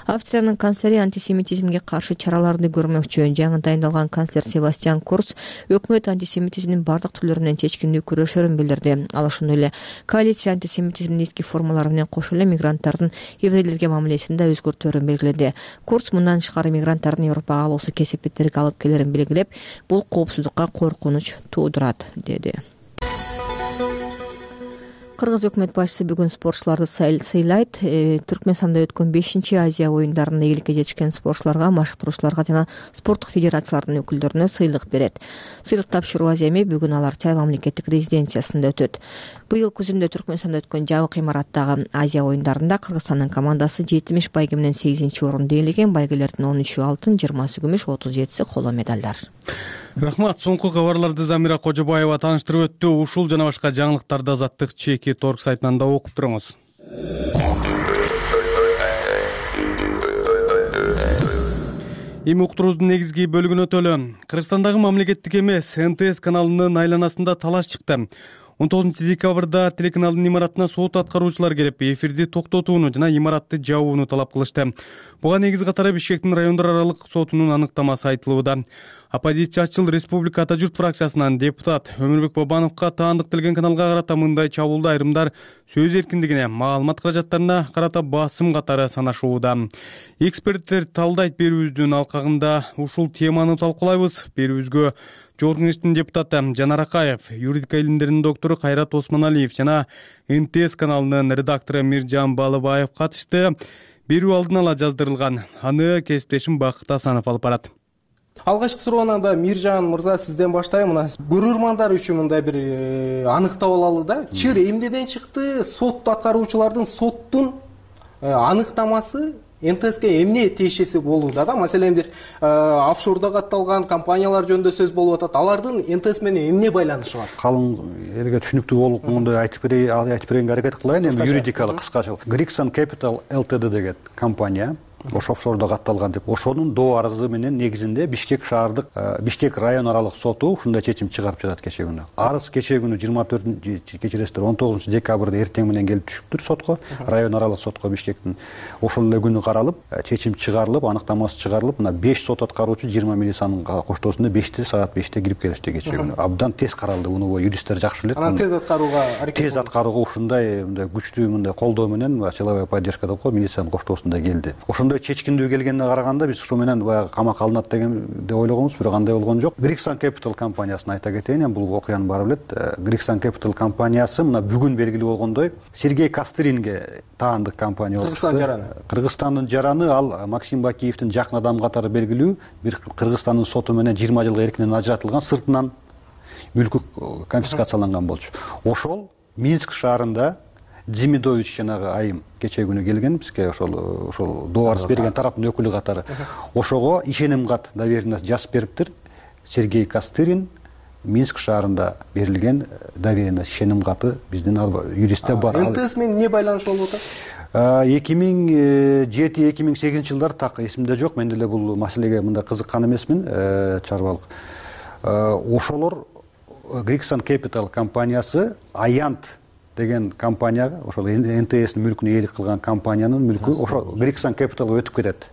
Австриянын канцлери антисемитизмге каршы чараларды көрмөкчү. Жаңы дайындалган канцлер Себастьян Курц өкмөт антисемитизмдин бардык түрлөрү менен чечкиндүү күрөшөрүн билдирди. Ал ошондой эле коалиция антисемитизмдин эски формалары менен кошо эле мигранттардын еврейлерге мамилесинде өзгөртүүлөрүн белгиледи. Курц мындан тышкары мигранттардын Европага алуусу кесепеттерге алып келерин белгилеп, бул коопсуздукка коркунуч туудурат, деди. Кыргыз өкмөт башчысы бүгүн спортчуларды сыйлайт. Түркмөнстанда өткөн 5-Азия оюндарында ийгиликке жетишкен спортчуларга, машыктыруучуларга жана спорттук федерациялардын өкүлдөрүнө сыйлык берет. Сыйлык тапшыруу аземи бүгүн алар Чай мамлекеттик резиденциясында өтөт. Быйыл күзүндө Түркмөнстанда өткөн жабык имараттагы Азия оюндарында Кыргызстандын командасы 70 байге менен 8-орунду ээлеген. Байгелердин 13-ü алтын, 20-сы күмүш, 37-си коло медалдар. Рахмат. Соңку кабарларды Замира Кожобаева тааныштырып өттү. Ушул жана башка жаңылыктарды Азаттык чеки торг сайтынан да окуп туруңуз. Эми уктуруубуздун негизги бөлүгүнө өтөлү. Кыргызстандагы мамлекеттик эмес НТС каналынын айланасында талаш чыкты. 19 декабрда телеканалдын имаратына сот аткаруучулар келип, эфирди токтотууну жана имаратты жабууну талап кылышты. Буга негиз катары Бишкектин райондор аралык сотунун аныктамасы айтылууда. Оппозициячыл Республика Ата журт фракциясынан депутат Өмүрбек Бабановго таандык келген каналга карата мындай чабуулду айрымдар сөз эркиндигине, маалымат каражаттарына карата басым катары санашууда. Эксперттер талдайт берүүбүздүн алкагында ушул теманы талкуулайбыз. Берүүбүзгө Жогорку Кеңештин депутаты Жанар Акаев, юридика илимдеринин доктору Кайрат Осмоналиев жана НТС каналынын редактору Миржан Балыбаев катышты. Берүү алдын ала жаздырылган. Аны кесиптешим Бакыт Асанов алып барат. Алгачкы суроону да Миржан мырза сизден баштайм. Мына көрөрмандар үчүн мындай бир аныктап алалы да. Чыр эмнеден чыкты? Сот аткаруучулардын соттун аныктамасы НТСке эмне тиешеси болууда да? Маселен бир офшордо катталган компаниялар жөнүндө сөз болуп атат. Алардын НТС менен эмне байланышы бар? Калың элге түшүнүктүү болгондой айтып беренге аракет кылайын. Эми юридикалык кыскачалык. Grixon Capital Ltd деген компания ошо офшордо катталган деп, ошонун доо арызы менен негизинде Бишкек шаардык Бишкек район аралык соту ушундай чечим чыгарып жатат кечээ күнү. Арыз кечээ күнү 19 декабрда эртең менен келип түшүптүр сотко, район аралык сотко Бишкектин. Ошол эле күнү каралып, чечим чыгарылып, аныктамасы чыгарылып, мына 5 сот аткаруучу 20 милициянын коштоосунда 5 саат 5 кирип келишти кечээ күнү. Абдан тез каралды, муну юристтер жакшы билет. Анан тез аткарууга аракет тез аткарууга ушундай күчтүү мындай колдоо менен силовая поддержка деп коет, милициянын коштоосунда келди. Чечкиндүү келгенине караганда биз ушу менен баягы камакка алынат деген деп ойлогонбуз, бирок андай болгон жок. Grixon Capital компаниясын айта кетейин, бул окуяны баары билет. Grixon Capital компаниясы мына бүгүн белгилүү болгондой Сергей Костыринге таандык компания болуп чыкты. Кыргызстандын жараны, ал Максим Бакиевдин жакын адамы катары белгилүү, бир Кыргызстандын соту менен 20 жылга эркинен ажыратылган, сыртынан мүлкү конфискацияланган болчу. Ошол Минск шаарында Дзимидович жанагы айым кечээ күнү келген бизге, ошол доо арыз берген тараптын өкүлү катары. Ошого ишеним кат доверенность жазып бериптир. Сергей Костырин Минск шаарында берилген доверенность ишеним каты биздин юристте бар. НТС менен не байланыш болуп атат? 2007-2008 жылдар так эсимде жок. Мен деле бул маселеге мындай кызыккан эмесмин, чарбалык. Ошолор Grixon Capital компаниясы Аянт деген компанияга, ошол НТСнин мүлкүнө ээлик кылган компаниянын мүлкү ошо Grixon Capitalга өтүп кетет.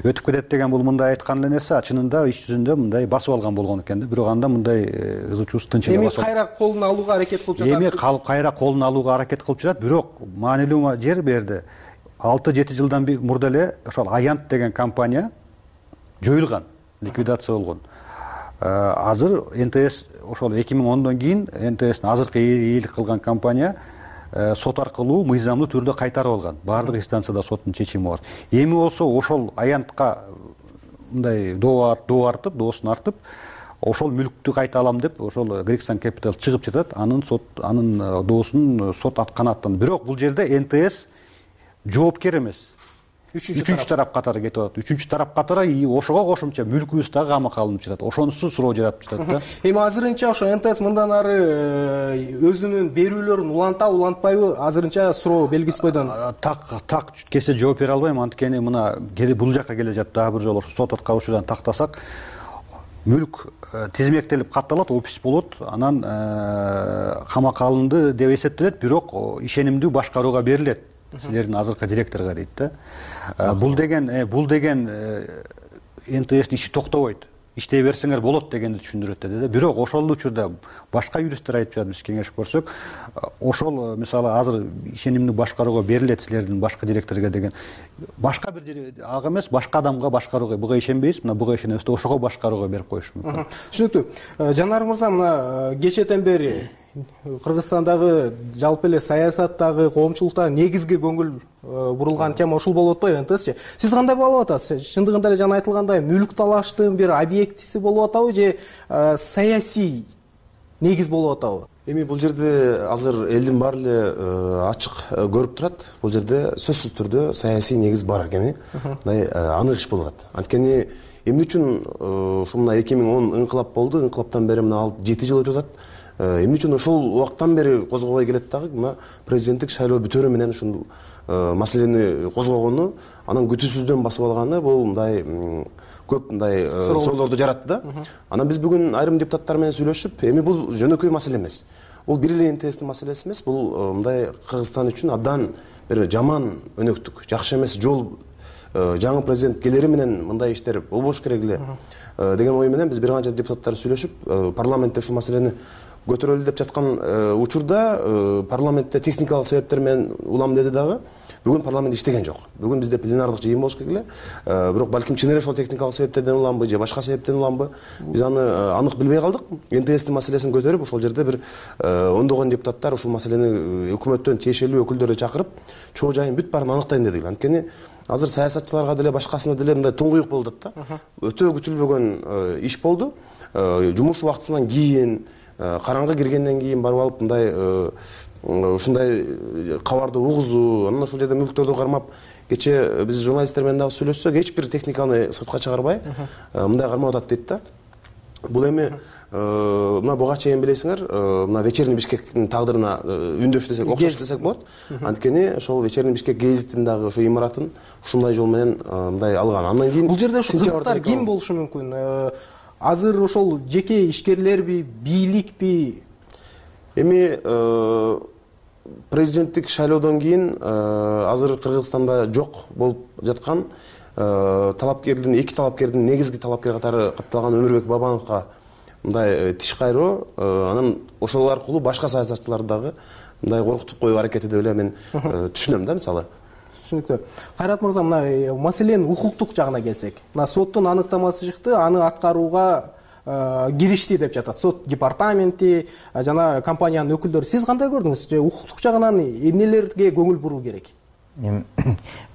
Өтүп кетет деген бул мындай айткан эле нерсе, чынында иш жүзүндө мындай басып алган болгон экен да. Бирок анда мындай ызы-чуус тынчыгып басып. Эми кайра колуна алууга аракет кылып жатат. Эми кайра колуна алууга аракет кылып жатат, бирок маанилүү жер берди. 6-7 жылдан мурда эле ошол Аянт деген компания жоюлган, ликвидация болгон. Азыр НТС ошол 2010дон кийин НТСнин азыркы ээлик кылган компания сот аркылуу мыйзамдуу түрдө кайтарып алган. Баардык инстанцияда соттун чечими бар. Эми болсо ошол Аянтка мындай доо артып, доосун артып, ошол мүлктү кайта алам деп ошол Grixon Capital чыгып жатат. Анын доосун сот канааттанды. Бирок бул жерде НТС жоопкер эмес. Үчүнчү тарап катары кетип атат. Үчүнчү тарап катары ошого кошумча мүлкүбүз дагы камакка алынып жатат. Ошонусу суроо жаратып жатат да. Эми азырынча ошо НТС мындан ары өзүнүн берүүлөрүн улантпайбы? Азырынча суроо белгисиз бойдон. Так кесе жооп бере албайм. Анткени мына бул жака келе жатып дагы бир жолу сот аткаруучудан тактасак, мүлк тизмектелип катталат, опис болот, анан камакка алынды деп эсептелет, бирок ишенимдүү башкарууга берилет. Силердин азыркы директорго дейт да. Бул деген НТСнин иши токтобойт. Иштей берсеңер болот дегенди түшүндүрөт деди да. Бирок ошол учурда башка юристтер айтып жатат, биз кеңешип көрсөк, ошол мисалы азыр ишенимдүү башкарууга берилет силердин башка директорго деген. Башка бир ага эмес, башка адамга башкарууга, буга ишенбейсиз, мына буга ишенебиз деп ошого башкарууга берип коюш мүмкүн. Түшүнүктүү. Жанар мырза, мына кечээден бери Кыргызстандагы жалпы эле саясаттагы, коомчулуктагы негизги көңүл бурулган тема ушул болуп атпайбы, НТСчи? Сиз кандай баалап атасыз? Чындыгында эле жана айтылгандай мүлк талаштын бир объектиси болуп атабы же саясий негиз болуп атабы? Эми бул жерде азыр элдин баары эле ачык көрүп турат. Бул жерде сөзсүз түрдө саясий негиз бар экени мындай анык иш болуп атат. Анткени эмне үчүн ушул мына 2010 ыңкылап болду, ыңкылаптан бери мына 7 жыл өтүп атат. Эмне үчүн ошол убакыттан бери козгобой келет дагы, мына президенттик шайлоо бүтөөрү менен ушул маселени козгогону, анан күтүүсүздөн басып алганы бул мындай көп мындай суроолорду жаратты да. Анан биз бүгүн айрым депутаттар менен сүйлөшүп, эми бул жөнөкөй маселе эмес. Бул бир эле НТСтин маселеси эмес, бул мындай Кыргызстан үчүн абдан бир жаман өнөктүк, жакшы эмес жол. Жаңы президент келери менен мындай иштер болбош керек эле деген ой менен биз бир канча депутаттар сүйлөшүп, парламентте ушул маселени көтөрөлү деп жаткан учурда парламентте техникалык себептер менен улам деди дагы. Бүгүн парламент иштеген жок. Бүгүн бизде пленардык жыйын болуш керек эле. Бирок балким чын эле ошол техникалык себептерден уламбы же башка себептен уламбы, биз аны анык билбей калдык. НТСтин маселесин көтөрүп, ошол жерде бир ондогон депутаттар ушул маселени өкмөттөн тиешелүү өкүлдөрдү чакырып, чоо жайын бүт баарын аныктайын дедик. Анткени азыр саясатчыларга деле башкасына деле мындай туңгуюк болуп атат да. Өтө күтүлбөгөн иш болду. Жумуш убактысынан кийин, караңгы киргенден кийин барып алып мындай ушундай кабарды угузуу, анан ошол жерде мүлктөрдү кармап кечээ биз журналисттер менен дагы сүйлөшсөк, эч бир техниканы сыртка чыгарбай мындай кармап атат дейт да. Бул эми мына буга чейин билесиңер, мына Вечерний Бишкектин тагдырына үндөш десек, окшош десек болот. Анткени ошол Вечерний Бишкек гезитин дагы ошо имаратын ушундай жол менен мындай алган. Андан кийин бул жерде ушу кызыктар ким болушу мүмкүн? Азыр ошол жеке ишкерлерби, бийликпи? Эми президенттик шайлоодон кийин азыр Кыргызстанда жок болуп жаткан талапкердин, эки талапкердин негизги талапкер катары катталган Өмүрбек Бабановго мындай тиш кайроо, анан ошол аркылуу башка саясатчыларды дагы мындай коркутуп коюу аракети деп эле мен түшүнөм да, мисалы. Түшүнүктүү. Кайрат мырза, мына маселенин укуктук жагына келсек, мына соттун аныктамасы чыкты, аны аткарууга киришти деп жатат сот департаменти жана компаниянын өкүлдөрү. Сиз кандай көрдүңүз? Укуктук жагынан эмнелерге көңүл буруу керек?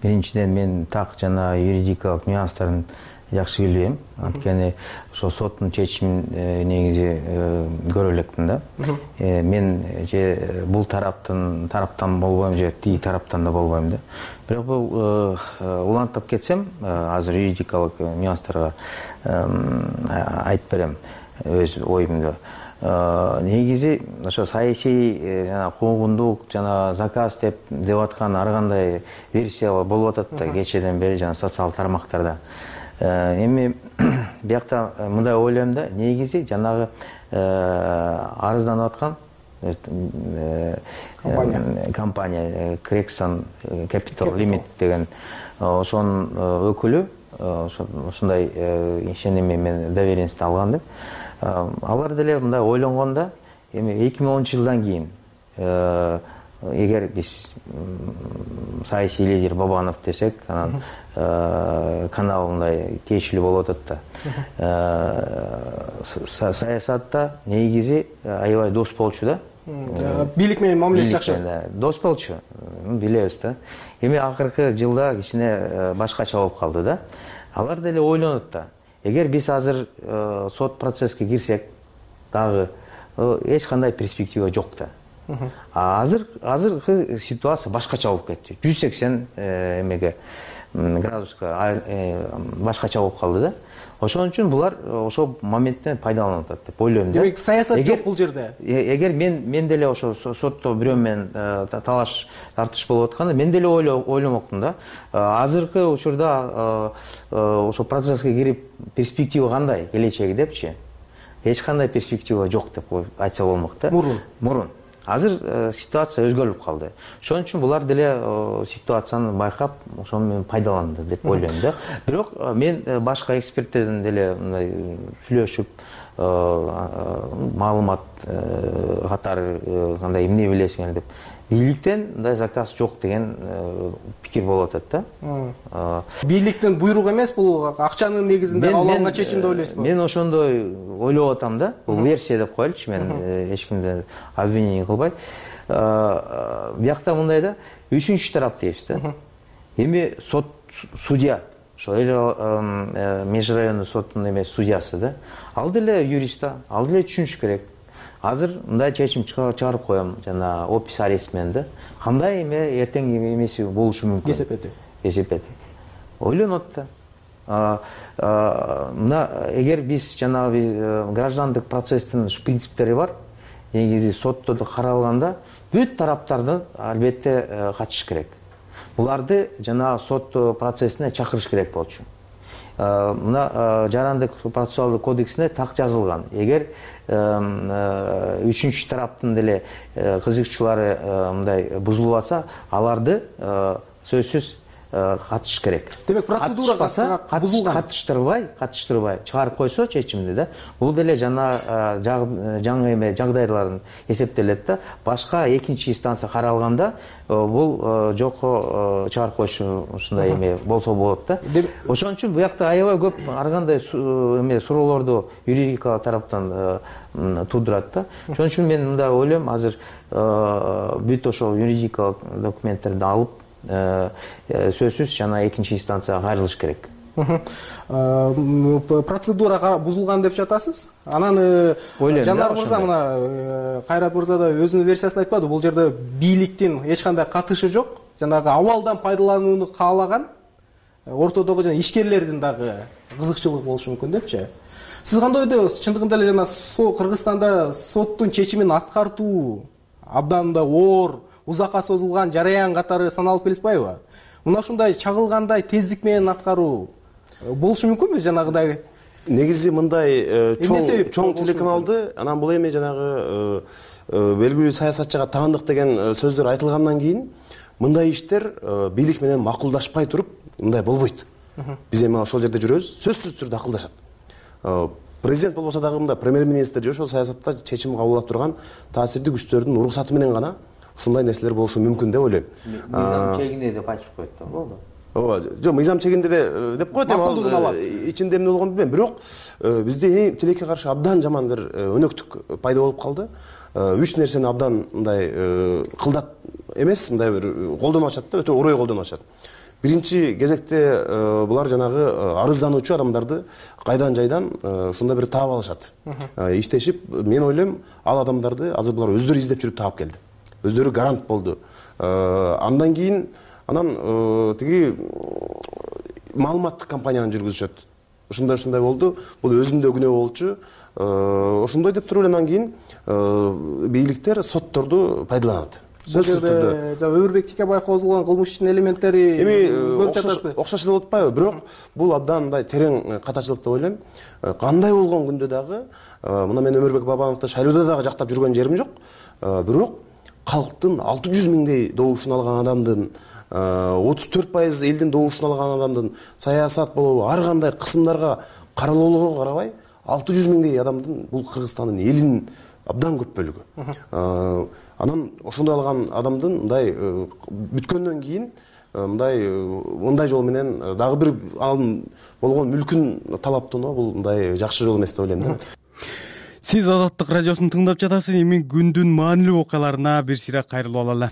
Биринчиден мен так жана юридикалык нюанстарын жакшы билбейм. Анткени ошо соттун чечимин негизи көрө элекмин да. Мен же бул тараптан болбойм, же тиги тараптан да болбойм да. Бирок бул улантып кетсем, азыр юридикалык нюанстарга айтып берем өз оюмду. Негизи ошо саясий жана куугундук жана заказ деп аткан ар кандай версиялар болуп атат да кечеден бери жана социалдык тармактарда. Эми биякта мындай ойлойм да, негизи жанагы арызданып аткан компания Crexon Capital Limit деген ошонун өкүлү ушундай ишеними мен доверенность алган деп. Алар деле мындай ойлонгондо, эми 2010-жылдан кийин эгер биз саясий лидер Бабанов десек, анан канал мындай тиешелүү болуп атат да. Саясатта негизи аябай дос болчу да. Бийлик менен мамилеси жакшы. Дос болчу, билебиз да. Эми акыркы жылда кичине башкача болуп калды да. Алар деле ойлонот да. Эгер биз азыр сот процесске кирсек, дагы эч кандай перспектива жок да. Азыркы ситуация башкача болуп кетти. 180 эмеге градуска башкача болуп калды да. Ошон үчүн булар ошол моменттен пайдаланып атат деп ойлойм да. Демек саясат жок бул жерде. Эгер мен деле ошо сотто бирөө менен талаш тартыш болуп атканда, мен деле ойломокмун да. Азыркы учурда ошо процесске кирип перспектива кандай келечеги депчи? Эч кандай перспектива жок деп айтса болмок да. Мурун. Азыр ситуация өзгөрүп калды. Ошон үчүн булар деле ситуацияны байкап, ошону менен пайдаланды деп ойлойм да. Бирок мен башка эксперттерден деле мындай сүйлөшүп, маалымат катары кандай эмне билесиңер деп, бийликтен мындай заказ жок деген пикир болуп атат да. Бийликтин буйругу эмес, бул акчанын негизинде алынган чечим деп ойлойсузбу? Мен ошондой ойлоп атам да. Бул версия деп коелучу, мен эч кимди обвинение кылбай. Биякта мындай да, үчүнчү тарап дейбиз да. Эми судья, ошо межрайондук соттун эмес судьясы да. Ал деле юрист да, ал деле түшүнүш керек. Азыр мындай чечим чыгарып коем, жана опис арест менен да. Кандай эртең эмеси болушу мүмкүн? Кесепети. Ойлонот да. Мына эгер биз жанагы граждандык процесстин принциптери бар, негизи сотто каралганда бүт тараптарды албетте катышыш керек. Буларды жанагы сот процессине чакырыш керек болчу. Мына жарандык процессуалдык кодексине так жазылган. Эгер үчүнчү тараптын деле кызыкчылары мындай бузулуп атса, аларды сөзсүз катышыш керек. Демек процедурага бузулган. Катыштырбай чыгарып койсо чечимди да. Бул деле жаңы эме жагдайларын эсептелет да. Башка экинчи инстанция каралганда бул жокко чыгарып коюшу ушундай эме болсо болот да. Ошон үчүн буякта аябай көп ар кандай эме суроолорду юридика тараптан туудурат да. Ошон үчүн мен мындай ойлойм, азыр бүт ошол юридикалык документтерди алып сөзсүз жана экинчи инстанцияга кайрылыш керек. Процедурага бузулган деп жатасыз. Анан Жанар мырза, мына Кайрат мырза да өзүнүн версиясын айтпады. Бул жерде бийликтин эч кандай катышы жок. жанагы абалдан пайдаланууну каалаган ортодогу жана ишкерлердин дагы кызыкчылыгы болушу мүмкүн депчи. Сиз кандай ойдосуз? Чындыгында эле жана Кыргызстанда соттун чечимин аткартуу абдан да оор, узакка созулган жараян катары саналып келатпайбы? Мына ушундай чагылгандай тездик менен аткаруу болушу мүмкүнбү жанагыдай? Негизи мындай чоң телеканалды анан бул эми жанагы белгилүү саясатчыга таандык деген сөздөр айтылгандан кийин мындай иштер бийлик менен макулдашпай туруп мындай болбойт. Биз эми ошол жерде жүрөбүз, сөзсүз түрдө акылдашат. Президент болбосо дагы мындай премьер-министр же ошол саясатта чечим кабыл ала турган таасирдүү күчтөрдүн уруксаты менен гана ушундай нерселер болушу мүмкүн деп ойлойм. Мыйзам чегинде деп айтып коет да, болду. Ооба, жок, мыйзам чегинде деп коет, эми ичинде эмне болгонун билбейм. Бирок бизде тилекке каршы абдан жаман бир өнөктүк пайда болуп калды. Үч нерсени абдан мындай кылдат эмес, мындай бир колдонуп атышат да, өтө орой колдонуп атышат. Биринчи кезекте булар жанагы арыздануучу адамдарды кайдан жайдан ушундай бир таап алышат. Иштешип, мен ойлойм, ал адамдарды азыр булар өздөрү издеп жүрүп таап келди. Өздөрү гарант болду. Андан кийин тиги маалыматтык кампанияны жүргүзүшөт. Ушундай болду. Бул өзүндө күнөө болчу. Ошондой деп туруп андан кийин бийликтер сотторду пайдаланат. Сөзсүз түрдө Өмүрбек Тикебаев козголгон кылмыш ишинин элементтери көрүп жатасызбы? Окшош эле болуп атпайбы? Бирок бул абдан мындай терең катачылык деп ойлойм. Кандай болгон күндө дагы мына мен Өмүрбек Бабановду шайлоодо дагы жактап жүргөн жерим жок. Бирок калктын 600 миңдей добушун алган адамдын 34% элдин добушун алган адамдын саясат болобу ар кандай кысымдарга каралоолорго карабай 600 миңдей адамдын бул Кыргызстандын элинин абдан көп бөлүгү. Анан ошондой алган адамдын мындай бүткөндөн кийин мындай жол менен дагы бир анын болгон мүлкүн талаптоо бул мындай жакшы жол эмес деп ойлойм да. Сиз Азаттык радиосун тыңдап жатасыз. Эми күндүн маанилүү окуяларына бир сыйра кайрылып алалы.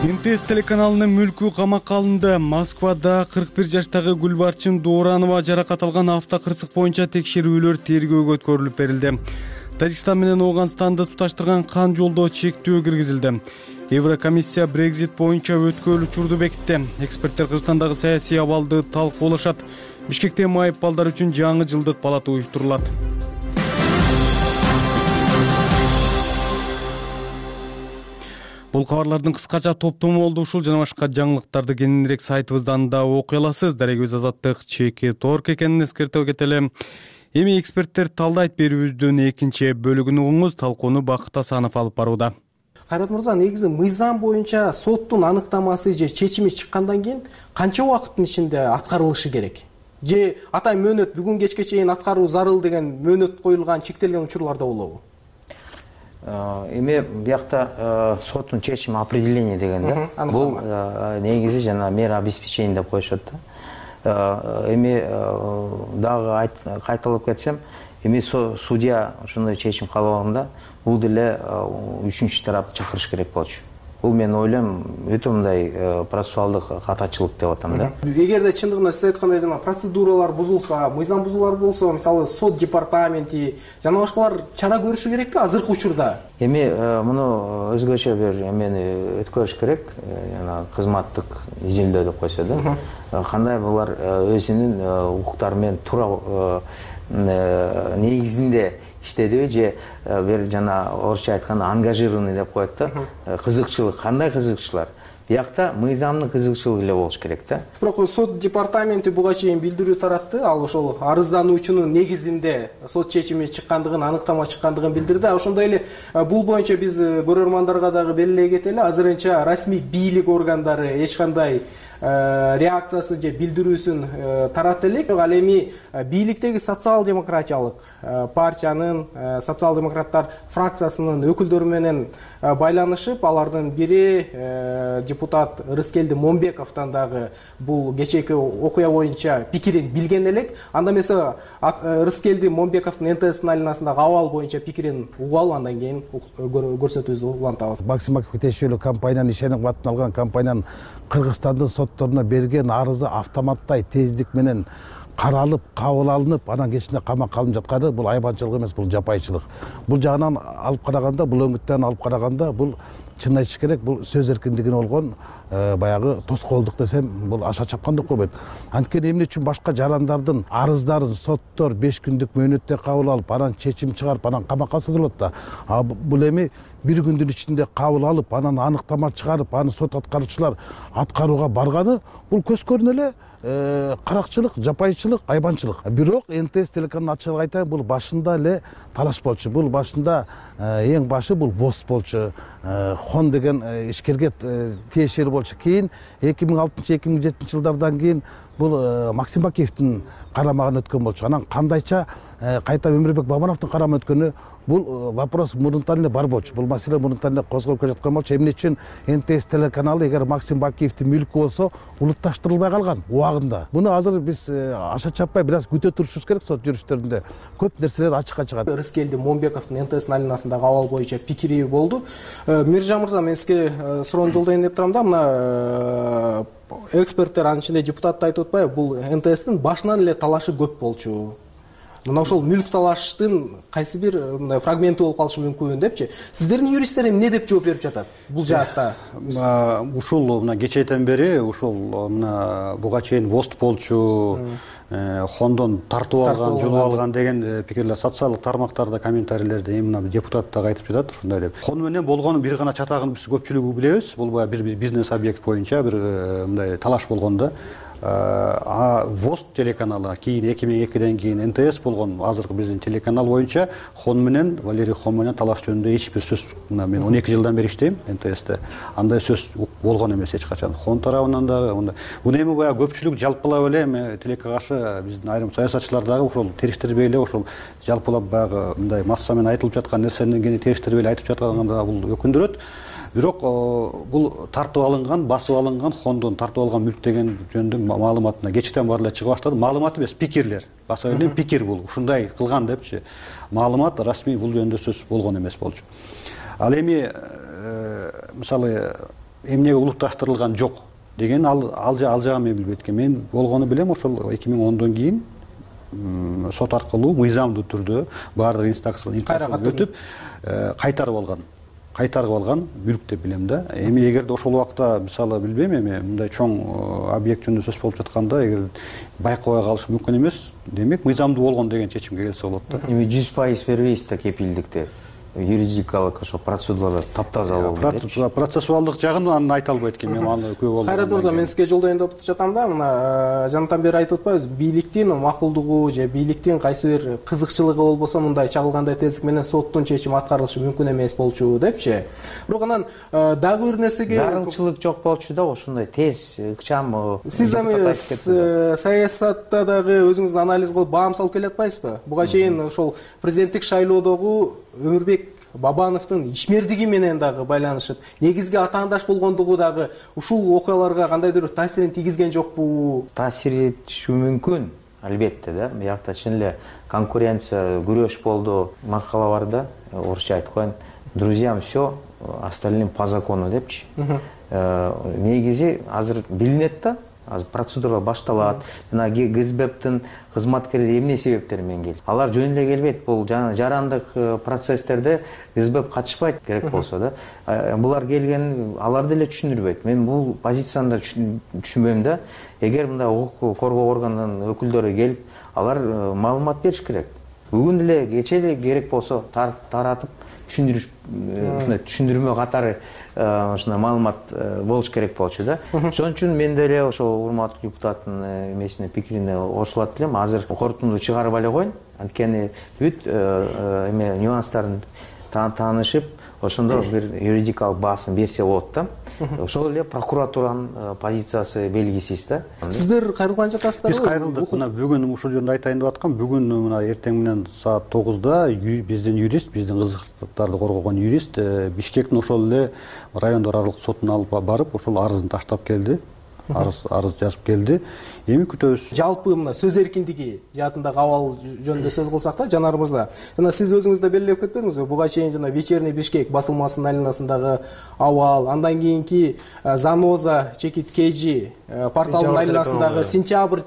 МТС телеканалынын мүлкү камакка алынды. Москвада 41 жаштагы Гүлбарчын Дууранова жаракат алган автокырсык боюнча текшерүүлөр тергөөгө өткөрүлүп берилди. Тажикстан менен Ооганстанды туташтырган кан жолдо чектөө киргизилди. Еврокомиссия Brexit боюнча өткөрүл учурду бекитти. Эксперттер Кыргызстандагы саясий абалды талкуулашат. Бишкекте майып балдар үчүн жаңы жылдык палата уюштурулат. Бул кабарлардын кыскача топтому болду. Ушул жана башка жаңылыктарды кененирээк сайтыбыздан да окуй аласыз. Дарегибиз Азаттык ЧК.org экенин эскертип кетели. Эми эксперттер талдайт берүүбүздүн экинчи бөлүгүн угуңуз. Талкууну Бакыт Асанов алып барууда. Кайрат мырза, негизи мыйзам боюнча соттун аныктамасы же чечими чыккандан кийин канча убакыттын ичинде аткарылышы керек? Же атай мөөнөт бүгүн кечке чейин аткаруу зарыл деген мөөнөт коюлган чектелген учурларда болобу? Эми биякта соттун чечими определение деген да. Бул негизи жана мера обеспечения деп коюшат да. Эми дагы кайталап кетсем, эми судья ошондой чечим кабыл бул деле үчүнчү тарапты чакырыш керек болчу. Бул мен ойлойм өтө мындай процессуалдык катачылык деп атам да. Эгерде чындыгында сиз айткандай жана процедуралар бузулса, мыйзам бузуулар болсо, мисалы сот департаменти жана башкалар чара көрүшү керекпи азыркы учурда? Эми муну өзгөчө бир эмени өткөрүш керек, жана кызматтык изилдөө деп койсо да. Кандай булар өзүнүн укуктары менен туура негизинде иштедиби же бир жана орусча айтканда ангажированный деп коет да. Кызыкчылык, кандай кызыкчылар? Биякта мыйзамдын кызыкчылыгы эле болуш керек да. Бирок сот департаменти буга чейин билдирүү таратты. Ал ошол арыздануучунун негизинде сот чечими чыккандыгын, аныктама чыккандыгын билдирди. Ошондой эле бул боюнча биз көрөрмандарга дагы белгилей кетели. Азырынча расмий бийлик органдары эч кандай реакциясын же билдирүүсүн таратты элек. Ал эми бийликтеги социал-демократиялык партиянын, социал-демократтар фракциясынын өкүлдөрү менен байланышып, алардын бири депутат Рыскелди Момбековдон дагы бул кечээки окуя боюнча пикирин билген элек. Анда эмесе Рыскелди Момбековдун НТС айланасындагы абал боюнча пикирин угалы, андан кийин көрсөтүүбүздү улантабыз. Максимовго тиешелүү компаниянын ишеним кабатын алган компаниянын Кыргызстандын сотторуна берген арызы автоматтай тездик менен каралып кабыл алынып анан кечинде камакка алынып жатканы бул айбанчылык эмес, бул жапайчылык. Бул жагынан алып караганда, бул өңүттөн алып караганда бул чын айтыш керек, бул сөз эркиндигине болгон баягы тоскоолдук десем, бул аша чапкан деп койбойт. Анткени эмне үчүн башка жарандардын арыздарын соттор 5 күндүк мөөнөттө кабыл алып, анан чечим чыгарып, анан камакка салдырылат да. Бул эми 1 күндүн ичинде кабыл алып, анан аныктама чыгарып, аны сот аткаруучулар аткарууга барганы, бул көз көрүнө эле каракчылык, жапайчылык, айбанчылык. Бирок НТС телеканалын ачыгын айтайын, бул башында эле талаш болчу. Бул башында эң башы бул ВОЗ болчу. Хон деген ишкерге тиешелүү болчу. Кийин 2006-2007 жылдардан кийин бул Максим Бакиевдин карамагына өткөн болчу. Анан кандайча кайта Өмүрбек Бабановдун карамагына өткөнү, бул вопрос мурунтан эле бар болчу. Бул маселе мурунтан эле козголуп келе жаткан болчу. Эмне үчүн НТС телеканалы эгер Максим Бакиевдин мүлкү болсо улутташтырылбай калган убагында. Буну азыр биз аша чаппай бир аз күтө турушубуз керек. Сот жүрүштөрүндө көп нерселер ачыкка чыгат. Рыскелди Момбековдун НТС алинасындагы абал боюнча пикири болду. Миржан мырза, мен сизге суроону жолдойн деп турам да, мына эксперттер, анын ичинде депутат да айтып атпайбы, бул НТСтин башынан эле талашы көп болчу. Мына ошол мүлк талаштын кайсы бир мындай фрагменти болуп калышы мүмкүн депчи. Сиздердин юристтер эмне деп жооп берип жатат бул жаатта? Ушул мына кечээден бери ушул мына буга чейин ВОЗ болчу, хондон тартып алган, жулуп алган деген пикирлер социалдык тармактарда, комментарийлерде мына депутат дагы айтып жатат ушундай деп. Хон менен болгону бир гана чатагын биз көпчүлүгү билебиз. Бул бир бизнес объект боюнча бир мындай талаш болгондо ВОЗ телеканалы кийин 2002ден кийин НТС болгон азыркы биздин телеканал боюнча Хон менен, Валерий Хон менен талаш жөнүндө эч бир сөз, мен 12 жылдан бери иштейм НТСте, андай сөз болгон эмес эч качан. Хон тарабынан дагы буну эми баягы көпчүлүк жалпылап эле эми тилекке каршы биздин айрым саясатчылар дагы ошол териштирбей эле ошол жалпылап баягы мындай массамен айтылып жаткан нерсени кийин териштирбей эле айтып жатканда бул өкүндүрөт. Бирок бул тартып алынган, басып алынган, Хондон тартып алган мүлк деген жөнүндө маалыматына кечтен баары эле чыга баштады. Маалымат эмес, пикирлер. Баса эле пикир бул. Ушундай кылган депчи. Маалымат расмий бул жөнүндө сөз болгон эмес болчу. Ал эми мисалы эмнеге улутташтырылган жок деген ал жагын мен билбейт экен. Мен болгону билем, ошол 2010дон кийин сот аркылуу мыйзамдуу түрдө баардык инстанция өтүп кайтарып алган мүлк деп билем да. Эми эгерде ошол убакта мисалы билбейм, эми мындай чоң объект жөнүндө сөз болуп жатканда эгер байкабай калыш мүмкүн эмес, демек мыйзамдуу болгон деген чечимге келсе болот да. Эми 100% бербейсиз да кепилдикти. Юридикалык ошо процедуралар таптаза болду депчи. Процессуалдык жагын аны айта албайт экенмин, мен аны көп болду. Кайрат мырза, мен сизге жолдойн деп жатам да, мына жанатан бери айтып атпайбыз, бийликтин макулдугу же бийликтин кайсы бир кызыкчылыгы болбосо мындай чагылгандай тездик менен соттун чечими аткарылышы мүмкүн эмес болчу депчи. Бирок анан дагы бир нерсеге зарылчылык жок болчу да, ошондой тез, ыкчам. Сиз эми саясатта дагы өзүңүздүн анализ кылып баам салып келатпайсызбы? Буга чейин ошол президенттик шайлоодогу Өмүрбек Бабановдун ишмердиги менен дагы байланышып, негизги атаандаш болгондугу дагы ушул окуяларга кандайдыр таасирин тийгизген жокпу? Таасир этиши мүмкүн, албетте да. Биякта чын эле конкуренция, күрөш болду. Макала бар да, орусча айтып коеюн, друзьям все, остальным по закону депчи. Негизи азыр билинет да, азыр процедура башталат. Жана ГСБптин кызматкерлери эмне себептер менен келди? Алар жөн эле келбейт. Бул жарандык процесстерде ГСБ катышпайт керек болсо да. Булар келген, аларды эле түшүндүрбөйт. Мен бул позицияны да түшүнбөйм да. Эгер мындай укук коргоо органынын өкүлдөрү келип, алар маалымат бериш керек. Бүгүн эле кече эле керек болсо таратып түшүндүрмө катары ушундай маалымат болуш керек болчу да. Ошон үчүн мен деле ошол урматтуу депутаттын эмесине, пикирине кошулат элем. Азыр корутунду чыгарып эле коеюн. Анткени бүт эме нюанстарын таанышып, ошондо бир юридикалык баасын берсе болот да. Ошол эле прокуратуранын позициясы белгисиз да. Сиздер кайрылган жатасыздарбы? Биз кайрылдык. Мына бүгүн ушул жөнүндө айтайын деп аткам. Бүгүн мына эртең менен саат 9-да биздин юрист, биздин кызыктарды коргогон юрист Бишкектин ошол эле райондор аралык сотуна алып барып, ошол арызын таштап келди. арыз жазып келди. Эми күтөбүз. Жалпы мына сөз эркиндиги жаатындагы абал жөнүндө сөз кылсак да, Жанар мырза, жана сиз өзүңүз да белгилеп кетпедиңизби? Буга чейин жана Вечерний Бишкек басылмасынын айланасындагы абал, андан кийинки Заноза чекиткежи порталынын айланасындагы, Сентябрь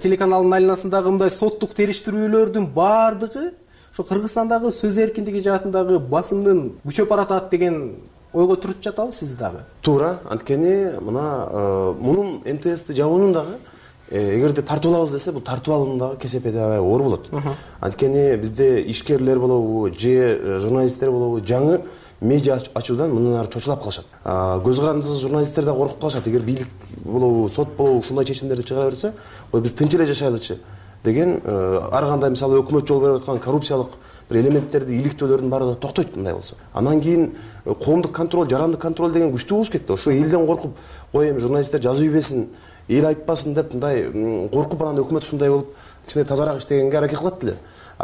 телеканалынын айланасындагы мындай соттук териштирүүлөрдүн баардыгы ошо Кыргызстандагы сөз эркиндиги жаатындагы басымдын күчөп баратат деген ойго туруп жатабы сиз дагы? Туура, анткени мына мунун НТСти жабуунун дагы эгерде тартып алабыз десе, бул тартып алуунун дагы кесепети аябай оор болот. Анткени бизде ишкерлер болобу, же журналисттер болобу, жаңы медиа ачуудан мындан ары чочулап калышат. Көз карандысыз журналисттер да коркуп калышат. Эгер бийлик болобу, сот болобу ушундай чечимдерди чыгара берсе, ой биз тынч эле жашайлычы деген ар кандай мисалы өкмөт жол берип аткан коррупциялык бир элементтерди иликтөөлөрдүн баары токтойт мындай болсо. Андан кийин коомдук контроль, жарандык контроль деген күчтүү болуш керек да. Ошо элден коркуп, ой эми журналисттер жазып ийбесин, эл айтпасын деп мындай коркуп анан өкмөт ушундай болуп кичине тазараак иштегенге аракет кылат эле.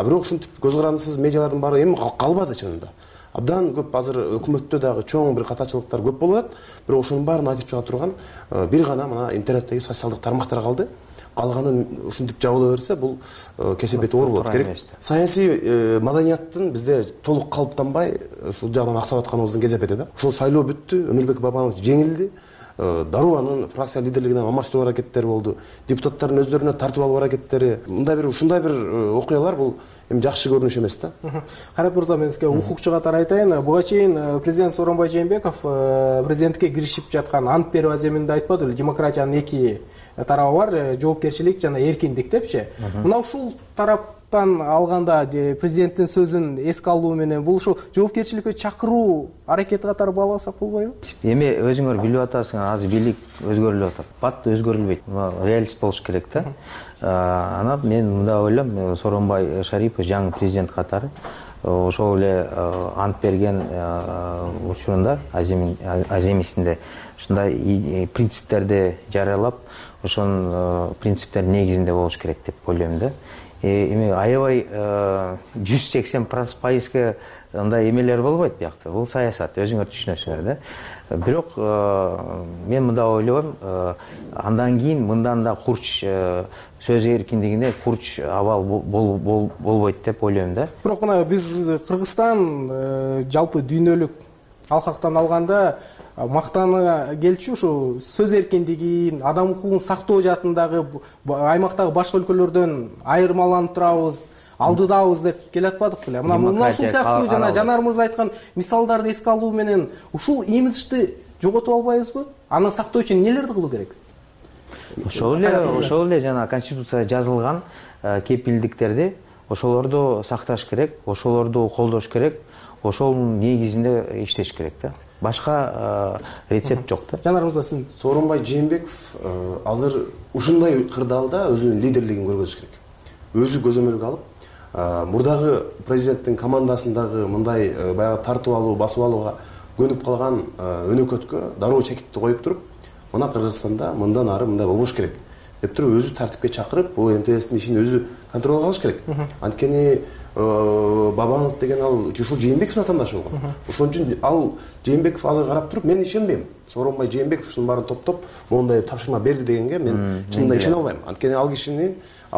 Бирок ушинтип көз карандысыз медиалардын баары эми калбады чынында. Абдан көп азыр өкмөттө дагы чоң бир катачылыктар көп болуп атат. Бирок ошонун баарын айтып чыга турган бир гана мына интернеттеги социалдык тармактар калды. Калганын ушинтип жабыла берсе, бул кесепети оор болот. Керек саясий маданияттын бизде толук калыптанбай ушул жагынан аксап атканыбыздын кесепети да. Ушул шайлоо бүттү, Өмүрбек Бабанович жеңилди. Даруанын фракция лидерлигинен алмаштыруу аракеттери болду. Депутаттардын өздөрүнө тартып алуу аракеттери. Мындай бир ушундай бир окуялар бул эми жакшы көрүнүш эмес да. Кайрат мырза, мен сизге укукчу катары айтайын. Буга чейин президент Сооронбай Жээнбеков президенттикке киришип жаткан ант берүү аземинде айтпады беле, демократиянын эки тарабы бар, жоопкерчилик жана эркиндик депчи. Мына ушул тараптан алганда президенттин сөзүн эске алуу менен бул ошо жоопкерчиликке чакыруу аракети катары бааласак болбойбу? Эми өзүңөр билип атасыңар, азыр бийлик өзгөрүлүп атат. Бат өзгөрүлбөйт. Реалист болуш керек да. Анан мен мындай ойлойм, Сооронбай Шарипов жаңы президент катары ошол эле ант берген учурунда аземисинде ушундай принциптерди жарыялап, ошонун принциптердин негизинде болуш керек деп ойлойм да. Эми аябай 180% андай эмелер болбойт биякта. Бул саясат, өзүңөр түшүнөсүңөр да. Бирок мен мындай ойлойм, андан кийин мындан да курч сөз эркиндигине курч абал болбойт деп ойлойм да. Бирок мына биз Кыргызстан жалпы дүйнөлүк алкактан алганда мактана келчү ушу сөз эркиндигин, адам укугун сактоо жаатындагы аймактагы башка өлкөлөрдөн айырмаланып турабыз, алдыдабыз деп келатпадык беле. Мына ушул сыяктуу жана Жанар мырза айткан мисалдарды эске алуу менен ушул имиджди жоготуп албайбызбы? Аны сактоо үчүн нелерди кылуу керек? Ошол эле жана Конституцияда жазылган кепилдиктерди ошолорду сакташ керек, ошолорду колдош керек, ошонун негизинде иштеш керек да. Башка рецепт жок да. Жанар мырза, сиз Сооронбай Жээнбеков азыр ушундай кырдаалда өзүнүн лидерлигин көргөзүш керек. Өзү көзөмөлгө алып, мурдагы президенттин командасындагы мындай баягы тартып алуу, басып алууга көнүп калган өнөкөткө дароо чекитти коюп туруп, мына Кыргызстанда мындан ары мындай болбош керек деп туруп өзү тартипке чакырып, бул НТСтин ишин өзү контролго алыш керек. Анткени Бабанов деген ал ушул Жээнбековдун атандашы болгон. Ошон үчүн ал Жээнбеков азыр карап туруп, мен ишенбейм. Сооронбай Жээнбеков ушунун баарын топтоп, моундай тапшырма берди дегенге мен чынында ишене албайм. Анткени ал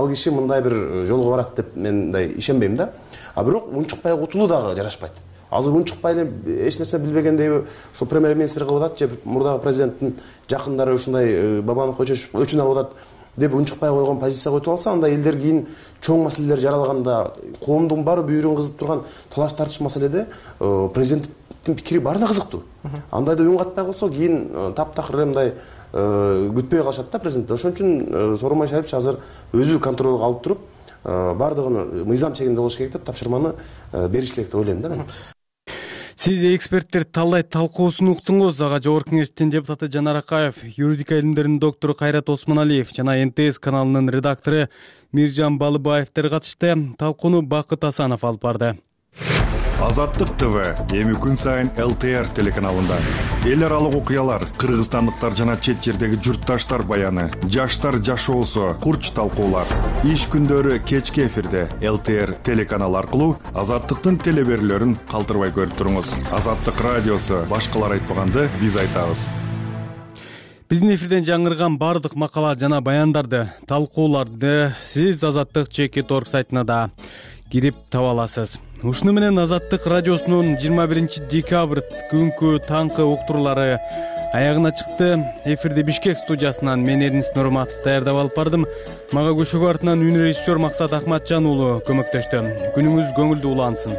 киши мындай бир жолго барат деп мен мындай ишенбейм да. Бирок унчукпай утулуу дагы жарашпайт. Азыр унчукпай эле эч нерсе билбегендей ошо премьер-министр кылып атат же мурдагы президенттин жакындары ушундай Бабановго өчүн алып атат деп унчукпай койгон позиция койтуп алса, анда элдер кийин чоң маселелер жаралганда, коомдун баары бүйүрүн кызып турган талаш тартыш маселеде президенттин пикири баарына кызыктуу. Андайда үн катпай калса, кийин таптакыр мындай күтпөй калышат да президент. Ошон үчүн Сооронбай Шарипович азыр өзү контролго алып туруп, баардыгын мыйзам чегинде болуш керек деп тапшырманы бериш керек деп ойлойм да мен. Сиз эксперттер талкуусун уктуңуз. Ага Жогорку Кеңештин депутаты Жанар Акаев, юридика илимдеринин доктору Кайрат Осмоналиев жана НТС каналынын редактору Миржан Балыбаевдер катышты. Талкууну Бакыт Асанов алып барды. Азаттык ТВ эми күн сайын ЛТР телеканалында эл аралык окуялар, кыргызстандыктар жана чет жердеги журтташтар баяны, жаштар жашоосу, курч талкуулар. Иш күндөрү кечки эфирде ЛТР телеканалы аркылуу Азаттыктын телеберүүлөрүн калтырбай көрүп туруңуз. Азаттык радиосу башкалар айтпаганды биз айтабыз. Биздин эфирден жаңырган баардык макала жана баяндарды, талкууларды сиз Азаттык Чекит.org сайтына да кирип таба аласыз. Ушуну менен Азаттык радиосунун 21 декабрь күнкү таңкы уктуруулары аягына чыкты. Эфирди Бишкек студиясынан мен Эрнис Нурматов даярдап алып бардым. Мага көшөгө артынан үн режиссер Максат Акматжан уулу көмөктөштү. Күнүңүз көңүлдүү улансын.